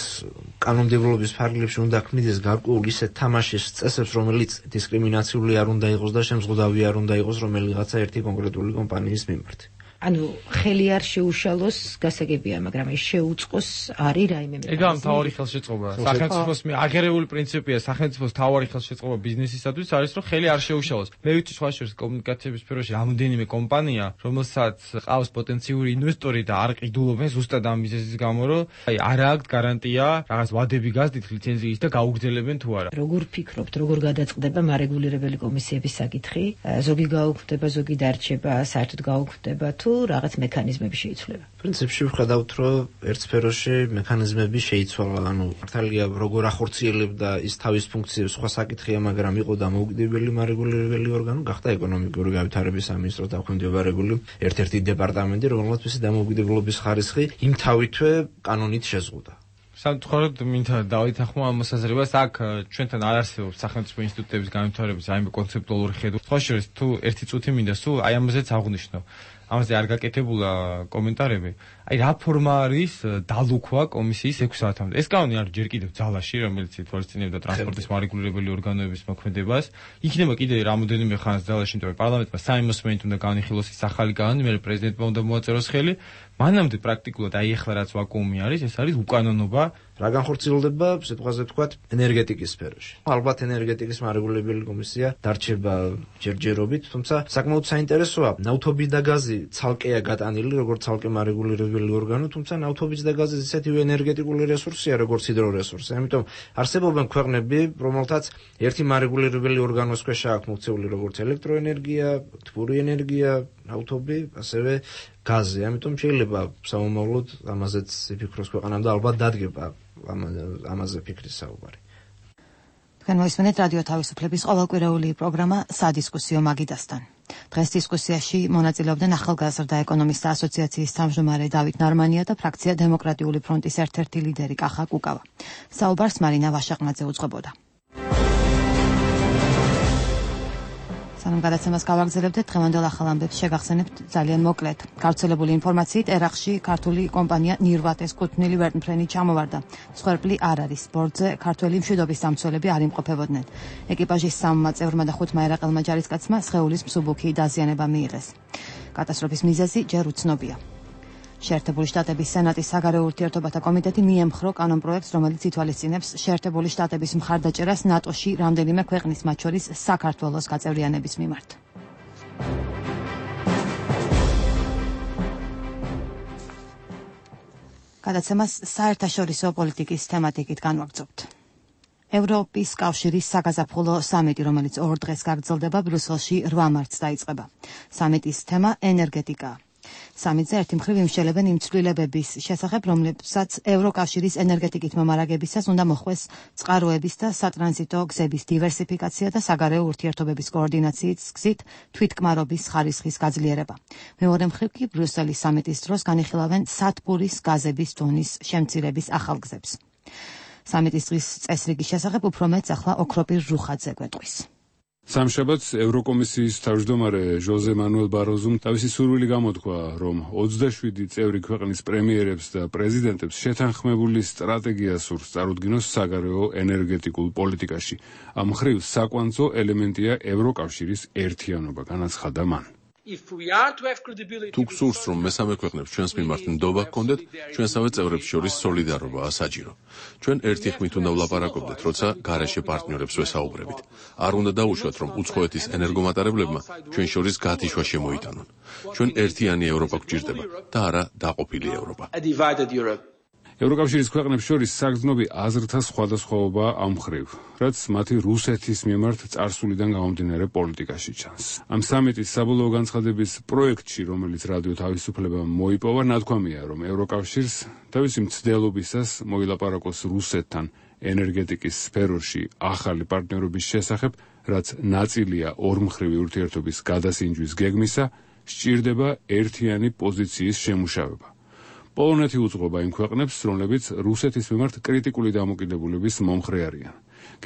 კანონმდებლობის ფარგლებში უნდა ქმნიდეს გარკვეულ ისეთ თამაშის წესებს, რომელიც დისკრიმინაციული არ უნდა იყოს და შემზღუდავი არ უნდა იყოს რომელიღაცა ერთი კონკრეტული კომპანიის მიმართ. ანუ ხელი არ შეუშალოს გასაგებია, მაგრამ ეს შეუწყოს არის რაიმე მე. ეგ ამ თავარი ხელშეწყობა. სახელმწიფოს აღიარებული პრინციპია, სახელმწიფოს თავარი ხელშეწყობა ბიზნესისათვის არის, რომ ხელი არ შეუშალოს. მე ვიცი სხვა შორის კომუნიკაციების სფეროში რამდენიმე კომპანია, რომელსაც ყავს პოტენციური ინვესტორი და არ ყიდულობენ ზუსტად ამ მიზეზის გამო, რომ აი არ აქვს გარანტია, რაღაც ვადები გასდით ლიცენზიის და გაუგრძელებენ თუ არა. როგორ ფიქრობთ, როგორ გადაწყდება მარეგულირებელი კომისიების საკითხი? ზოგი გაუქმდება, ზოგი დარჩება, საერთოდ გაუქმდება თუ რაღაც მექანიზმები შეიცვლება. პრინციპში ვხედავთ, რომ ერთ სფეროში მექანიზმები შეიცვალა, ანუ მართალია როგორ ახორციელებდა ის თავის ფუნქციებს, სხვა საკითხია, მაგრამ იყო დამოუკიდებელი მარეგულირებელი ორგანო, გახდა ეკონომიკური განვითარების სამინისტროს დაქვემდებარებული ერთ-ერთი დეპარტამენტი, რომელსაც მისი დამოუკიდებლობის ხარისხი იმ თავითვე კანონით შეზღუდა. სამწუხაროდ მინდა დავითახმო ამ მოსაზრებას, აქ ჩვენთან არ არსებობს სახელმწიფო ინსტიტუტების განვითარების აი კონცეპტუალური ხედვა. სხვა შორის თუ ერთი წუთი მინდა სულ აი ამაზეც აღვნიშნო. ამაზე არ გაკეთებულა კომენტარები. აი რა ფორმა არის დალუქვა კომისიის 6 საათამდე. ეს კანონი არის ჯერ კიდევ ძალაში, რომელიც ითვალისწინებდა ტრანსპორტის მარეგულირებელი ორგანოების მოქმედებას. იქნება კიდე რამოდენიმე ხანს ძალაში, იმიტომ რომ პარლამენტმა საიმოსმენით უნდა განიხილოს ის ახალი კანონი, მერე პრეზიდენტმა უნდა მოაწეროს ხელი. მანამდე პრაქტიკულად აი ახლა რაც ვაკუუმი არის, ეს არის უკანონობა. რა განხორციელდება, სიტყვაზე ვთქვათ, ენერგეტიკის სფეროში. ალბათ ენერგეტიკის მარეგულირებელი კომისია დარჩება ჯერჯერობით, თუმცა საკმაოდ საინტერესოა, ნავთობი და გაზი ცალკეა გატანილი, როგორც ცალკე მარეგულირებელი ორგანო, თუმცა ნავთობის და გაზის ისეთივე ენერგეტიკული რესურსია, როგორც ჰიდრორესურსი. ამიტომ არსებობენ ქვეყნები, რომელთაც ერთი მარეგულირებელი ორგანოს ქვეშ აქვს მოქცეული როგორც ელექტროენერგია, თბური ენერგია, ნავთობი, ასევე გაზი. ამიტომ შეიძლება სამომავლოდ ამაზეც იფიქროს ქვეყანამ და ალბათ დადგება ამაზე ფიქრის საუბარი. თქვენ მოისმენთ რადიო თავისუფლების ყოველკვირეული პროგრამა სადისკუსიო მაგიდასთან. დღეს დისკუსიაში მონაწილეობდნენ ახალგაზრდა ეკონომისტთა ასოციაციის თავმჯდომარე დავით ნარმანია და ფრაქცია დემოკრატიული ფრონტის ერთ-ერთი ლიდერი კახა კუკავა. საუბარს მარინა ვაშაყნაძე უძღვებოდა. სანამ გადაცემას გავაგრძელებთ, დღევანდელ ახალ ამბებს შეგახსენებთ ძალიან მოკლედ. გავრცელებული ინფორმაციით, ერაყში ქართული კომპანია ნირვატეს კუთვნილი ვერტმფრენი ჩამოვარდა. მსხვერპლი არ არის. ბორტზე ქართველი მშვიდობის დამცველები არ იმყოფებოდნენ. ეკიპაჟის 3 წევრმა და 5 ერაყელმა ჯარისკაცმა სხეულის მსუბუქი დაზიანება მიიღეს. კატასტროფის მიზეზი ჯერ უცნობია. შეერთებული შტატების სენატის საგარეო ურთიერთობათა კომიტეტი მიემხრო კანონპროექტს, რომელიც ითვალისწინებს შეერთებული შტატების მხარდაჭერას ნატოში რამდენიმე ქვეყნის, მათ შორის საქართველოს გაწევრიანების მიმართ. გადაცემას საერთაშორისო პოლიტიკის თემატიკით განვაგრძობთ. ევროპის კავშირის საგაზაფხულო სამიტი, რომელიც 2 დღეს გაგრძელდება ბრიუსელში 8 მარტს დაიწყება. სამიტის თემა ენერგეტიკაა. სამიტზე ერთი მხრივ იმსჯელებენ იმ ცვლილებების შესახებ, რომლებსაც ევროკავშირის ენერგეტიკით მომარაგებისას უნდა მოხვდეს წყაროების და სატრანზიტო გზების დივერსიფიკაცია და საგარეო ურთიერთობების კოორდინაციის გზით თვითკმარობის ხარისხის გაძლიერება. მეორე მხრივ კი ბრიუსელის სამიტის დროს განიხილავენ სათბურის გაზების დონის შემცირების ახალ გზებს. სამიტის დღის წესრიგის შესახებ უფრო მეტს ახლა ოქროპირ რუხაძე გვეტყვის. სამშაბათს ევროკომისიის თავმჯდომარე ჟოზე მანუელ ბაროზუმ თავისი სურვილი გამოთქვა, რომ 27 წევრი ქვეყნის პრემიერებს და პრეზიდენტებს შეთანხმებული სტრატეგია სურს წარუდგინოს საგარეო ენერგეტიკულ პოლიტიკაში. ამ მხრივ საკვანძო ელემენტია ევროკავშირის ერთიანობა, განაცხადა მან. თუ გსურს, რომ მესამე ქვეყნებს ჩვენს მიმართ ნდობა გქონდეთ, ჩვენსავე წევრებს შორის სოლიდარობაა საჭირო. ჩვენ ერთი ხმით უნდა ვლაპარაკობდეთ, როცა გარეშე პარტნიორებს ვესაუბრებით. არ უნდა დაუშვათ, რომ უცხოეთის ენერგომატარებლებმა ჩვენ შორის გათიშვა შემოიტანონ. ჩვენ ერთიანი ევროპა გვჭირდება და არა დაყოფილი ევროპა. ევროკავშირის ქვეყნებს შორის საგრძნობი აზრთა სხვადასხვაობაა ამ მხრივ, რაც მათი რუსეთის მიმართ წარსულიდან გამომდინარე პოლიტიკაში ჩანს. ამ სამიტის საბოლოო განცხადების პროექტში, რომელიც რადიო თავისუფლებამ მოიპოვა, ნათქვამია, რომ ევროკავშირს თავისი მცდელობისას მოილაპარაკოს რუსეთთან ენერგეტიკის სფეროში ახალი პარტნიორობის შესახებ, რაც ნაწილია ორმხრივი ურთიერთობის გადასინჯვის გეგმისა, სჭირდება ერთიანი პოზიციის შემუშავება. პოლონეთი უძღვება იმ ქვეყნებს, რომლებიც რუსეთის მიმართ კრიტიკული დამოკიდებულების მომხრე არიან.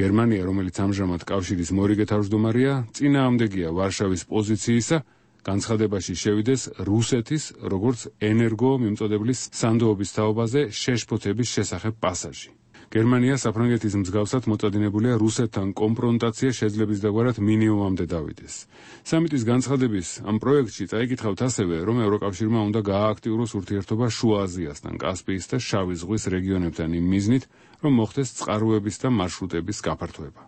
გერმანია, რომელიც ამჟამად კავშირის მორიგე თავმჯდომარეა, წინააღმდეგია ვარშავის პოზიციისა, განცხადებაში შევიდეს რუსეთის, როგორც ენერგო მიმწოდებლის სანდოობის თაობაზე შეშფოთების შესახებ პასაჟი. გერმანია საფრანგეთის მსგავსად მოწადინებულია რუსეთთან კონფრონტაცია შეძლების დაგვარად მინიმუმამდე დავიდეს. სამიტის განცხადების ამ პროექტში წაიკითხავთ ასევე, რომ ევროკავშირმა უნდა გაააქტიუროს ურთიერთობა შუა აზიასთან, კასპიის და შავი ზღვის რეგიონებთან იმ მიზნით, რომ მოხდეს წყაროების და მარშრუტების გაფართოება.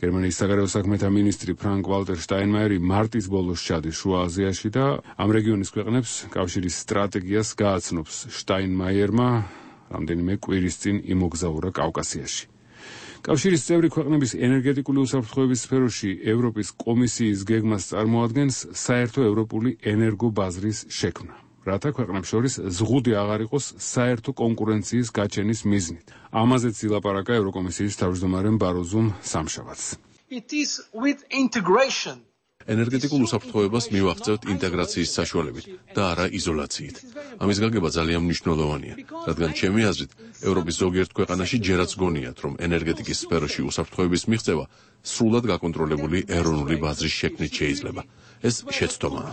გერმანიის საგარეო საქმეთა მინისტრი ფრანკ ვალტერ შტაინმაიერი მარტის ბოლოს ჩადის შუა აზიაში და ამ რეგიონის ქვეყნებს კავშირის სტრატეგიას გააცნობს. შტაინმაიერმა რამდენიმე კვირის წინ იმოგზაურა კავკასიაში. კავშირის წევრი ქვეყნების ენერგეტიკული უსაფრთხოების სფეროში ევროპის კომისიის გეგმას წარმოადგენს საერთო ევროპული ენერგობაზრის შექმნა, რათა ქვეყნებს შორის ზღუდი აღარ იყოს საერთო კონკურენციის გაჩენის მიზნით. ამაზეც ილაპარაკა ევროკომისიის თავმჯდომარემ ბაროზუმ სამშაბათს. ენერგეტიკულ უსაფრთხოებას მივაღწევთ ინტეგრაციის საშუალებით და არა იზოლაციით. ამის გაგება ძალიან მნიშვნელოვანია, რადგან ჩემი აზრით, ევროპის ზოგიერთ ქვეყანაში ჯერაც გონიათ, რომ ენერგეტიკის სფეროში უსაფრთხოების მიღწევა სრულად გაკონტროლებული ეროვნული ბაზრის შექმნით შეიძლება. ეს შეცდომაა.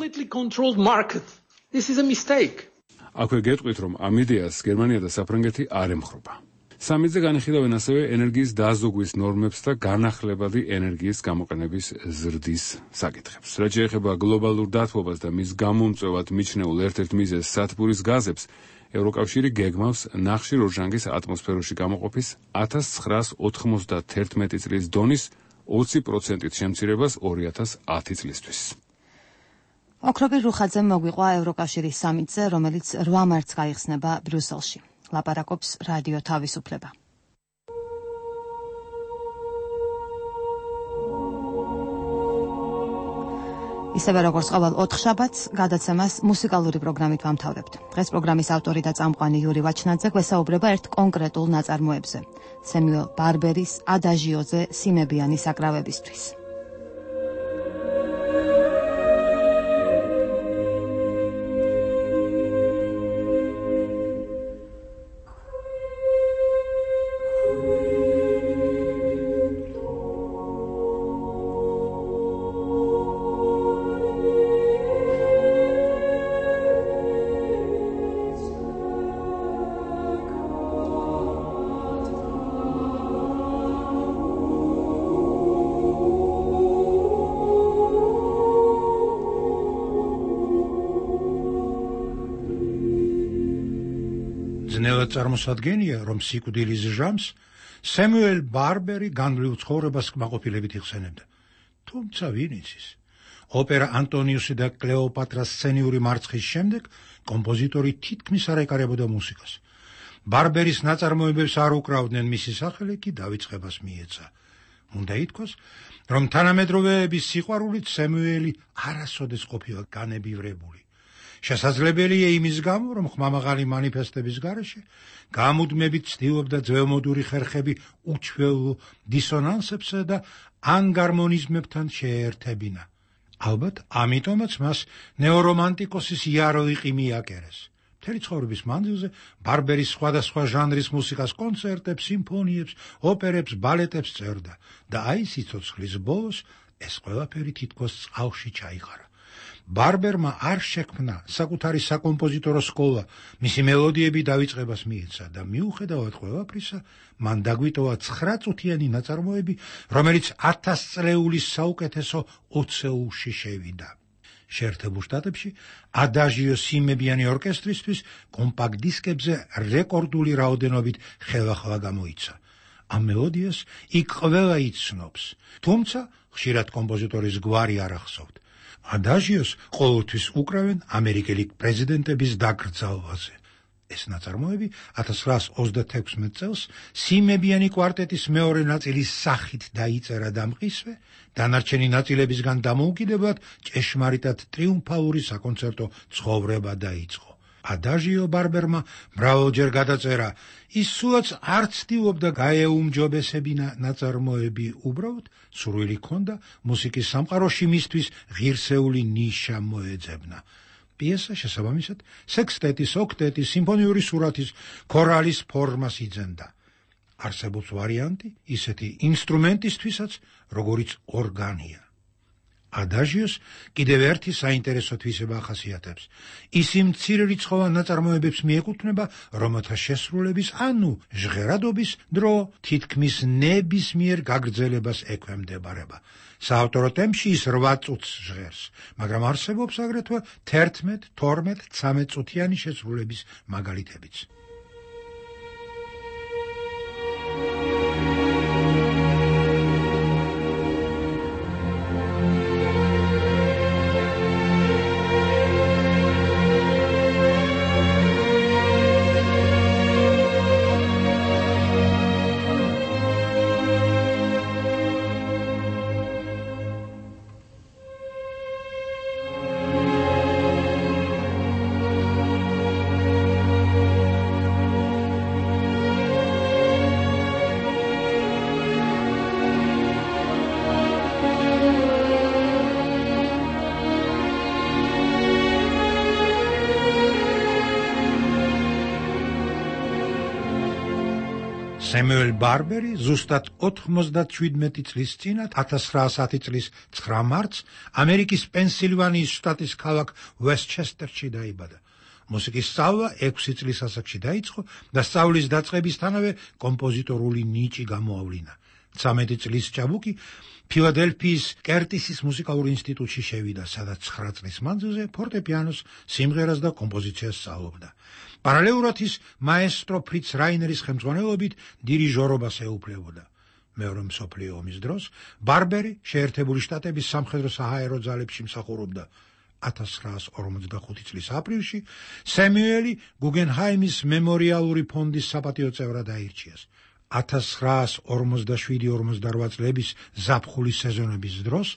აქვე გეტყვით, რომ ამ იდეას გერმანია და საფრანგეთი არ ემხრობა. სამიტზე განიხილავენ ასევე ენერგიის დაზოგვის ნორმებს და განახლებადი ენერგიის გამოყენების ზრდის საკითხებს. რაც შეეხება გლობალურ დათბობას და მის გამომწვევად მიჩნეულ ერთ-ერთ მიზეზს სათბურის გაზებს, ევროკავშირი გეგმავს ნახშირორჟანგის ატმოსფეროში გამოყოფის 1991 წლის დონის 20%-ით შემცირებას 2010 წლისთვის. ოქროპირ რუხაძემ მოგვიყვა ევროკავშირის სამიტზე, რომელიც 8 მარტს გაიხსნება ბრიუსელში. ლაპარაკობს რადიო თავისუფლება. ისევე როგორც ყოველ 4 შაბათს, გადაცემას მუსიკალური პროგრამით ვამთავრებთ. დღეს პროგრამის ავტორი და წამყვანი იური ვაჩნაძე გვესაუბრება ერთ კონკრეტულ ნაწარმოებზე, სემიუელ ბარბერის ადაჟიოზე სიმებიანი საკრავებისთვის. ძნელად წარმოსადგენია, რომ სიკვდილის ჟამს სემიუელ ბარბერი განვლილ ცხოვრებას კმაყოფილებით იხსენებდა. თუმცა ვინ იცის? ოპერა ანტონიუსი და კლეოპატრას სცენიური მარცხის შემდეგ კომპოზიტორი თითქმის არ ეკარებოდა მუსიკას. ბარბერის ნაწარმოებებს არ უკრავდნენ, მისი სახელი კი დავიწყებას მიეცა. უნდა ითქვას, რომ თანამედროვეების სიყვარულით სემუელი არასოდეს ყოფილა განებივრებული. შესაძლებელია იმის გამო, რომ ხმამაღალი მანიფესტების გარეშე გამუდმებით ცდილობდა ძველმოდური ხერხები უჩვეულო დისონანსებსა და ანგარმონიზმებთან შეერთებინა. ალბათ, ამიტომაც მას ნეორომანტიკოსის იაროიყი მიაკერეს. მთელი ცხოვრების მანძილზე ბარბერის სხვადასხვა ჟანრის მუსიკას კონცერტებს, სიმფონიებს, ოპერებს, ბალეტებს წერდა და აი სიცოცხლის ბოლოს ეს ყველაფერი თითქოს წყალში ჩაიყარა. ბარბერმა არ შექმნა საკუთარი საკომპოზიტორო სკოლა, მისი მელოდიები დავიწყებას მიეცა და მიუხედავად ყველაფრისა, მან დაგვიტოვა 9 წუთიანი ნაწარმოები, რომელიც 1000 წლეულის საუკეთესო ოცეულში შევიდა. შეერთებულ შტატებში ადაჟიო სიმებიანი ორკესტრისთვის კომპაქტ დისკებზე რეკორდული რაოდენობით ხელახლა გამოიცა. ამ მელოდიას იქ ყველა იცნობს, თუმცა ხშირად კომპოზიტორის გვარი არ ახსოვთ. ადაჟიოს ყოველთვის უკრავენ ამერიკელი პრეზიდენტების დაკრძალვაზე. ეს ნაწარმოები 1936 წელს სიმებიანი კვარტეტის მეორე ნაწილის სახით დაიწერა და მყისვე, დანარჩენი ნაწილებისგან დამოუკიდებლად ჭეშმარიტად ტრიუმფალური საკონცერტო ცხოვრება დაიწყო. ადაჟიო ბარბერმა მრავალჯერ გადაწერა, ის სულაც არ ცდილობდა გაეუმჯობესებინა ნაწარმოები, უბრალოდ სურვილი ჰქონდა მუსიკის სამყაროში მისთვის ღირსეული ნიშა მოეძებნა. პიესა შესაბამისად სექსტეტის, ოქტეტის, სიმფონიური სურათის, ქორალის ფორმას იძენდა. არსებობს ვარიანტი ისეთი ინსტრუმენტისთვისაც, როგორიც ორგანია. ადაჟიოს კიდევ ერთი საინტერესო თვისება ახასიათებს. ის იმ მცირერიცხოვან ნაწარმოებებს მიეკუთვნება, რომელთა შესრულების, ანუ ჟღერადობის დრო თითქმის ნებისმიერ გაგრძელებას ექვემდებარება. საავტორო ტემპში ის 8 წუთს ჟღერს, მაგრამ არსებობს აგრეთვე 11, 12, 13 წუთიანი შესრულების მაგალითებიც. სემუელ ბარბერი ზუსტად 97 წლის წინათ 1910 წლის 9 მარტს ამერიკის პენსილვანიის შტატის ქალაქ ვესტჩესტერში დაიბადა. მუსიკის სწავლა 6 წლის ასაკში დაიწყო და სწავლის დაწყებისთანავე კომპოზიტორული ნიჭი გამოავლინა. 13 წლის ჭაბუკი ფილადელფიის კერტისის მუსიკალურ ინსტიტუტში შევიდა, სადაც 9 წლის მანძილზე ფორტეპიანოს, სიმღერას და კომპოზიციას სწავლობდა. პარალელურად ის მაესტრო ფრიც რაინერის ხელმძღვანელობით დირიჟორობას ეუფლებოდა. მეორე მსოფლიო ომის დროს ბარბერი შეერთებული შტატების სამხედრო საჰაერო ძალებში მსახურობდა. 1945 წლის აპრილში სემუელი გუგენჰაიმის მემორიალური ფონდის საპატიო წევრად აირჩიეს. 1947-48 წლების ზაფხულის სეზონების დროს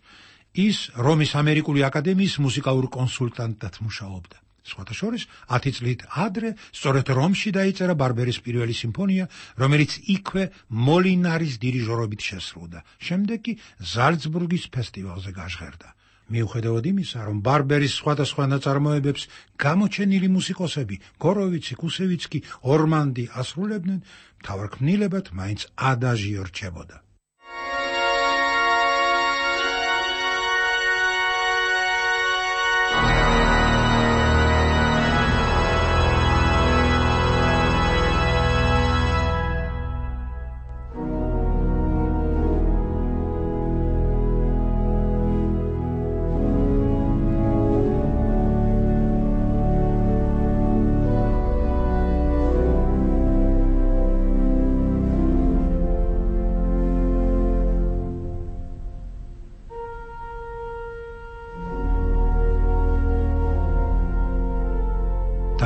ის რომის ამერიკული აკადემიის მუსიკალურ კონსულტანტად მუშაობდა. სხვათა შორის 10 წლით ადრე სწორედ რომში დაიწერა ბარბერის პირველი სიმფონია, რომელიც იქვე მოლინარის დირიჟორობით შესრულდა. შემდეგ კი ზალცბურგის ფესტივალზე გაჟღერდა. მიუხედავად იმისა, რომ ბარბერის სხვადასხვა ნაწარმოებებს გამოჩენილი მუსიკოსები გოროვიცი, კუსევიცკი, ორმანდი ასრულებდნენ, მთავარქმნილებად მაინც ადაჟიო რჩებოდა.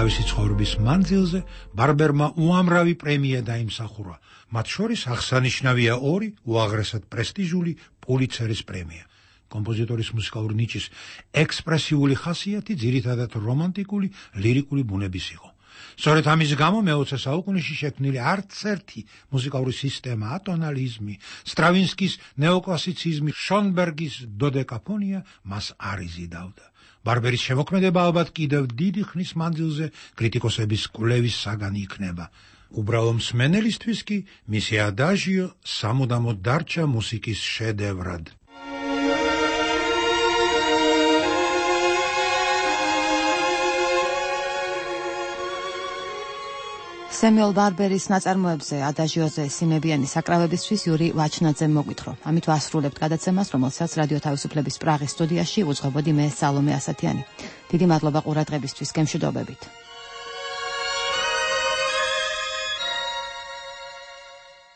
თავისი ცხოვრების მანძილზე ბარბერმა უამრავი პრემია დაიმსახურა. მათ შორის აღსანიშნავია 2 უაღრესად პრესტიჟული პულიცერის პრემია. კომპოზიტორის მუსიკალური ნიჭის ექსპრესიული ხასიათი ძირითადად რომანტიკული, ლირიკული ბუნების იყო. სწორედ ამის გამო მე-20 საუკუნეში შექმნილი არც ერთი მუსიკალური სისტემა, ატონალიზმი, სტრავინსკის ნეოკლასიციზმი, შონბერგის დოდეკაფონია მას არ იზიდავდა. ბარბერის შემოქმედება ალბათ კიდევ დიდი ხნის მანძილზე კრიტიკოსების კვლევის საგანი იქნება. უბრალო მსმენელისთვის კი მისი ადაჟიო სამუდამოდ დარჩა მუსიკის შედევრად. სემიოლ ბარბერის ნაწარმოებზე ადაჟიოზე სიმებიანი საკრავებისთვის იური ვაჩნაძემ მოგვითხრა. ამით ვასრულებთ გადაცემას, რომელსაც რადიო თავისუფლების პრაღის სტუდიაში უძღვებოდი მე სალომე ასათიანი. დიდი მადლობა ყურადღებისთვის, გემშვიდობებით.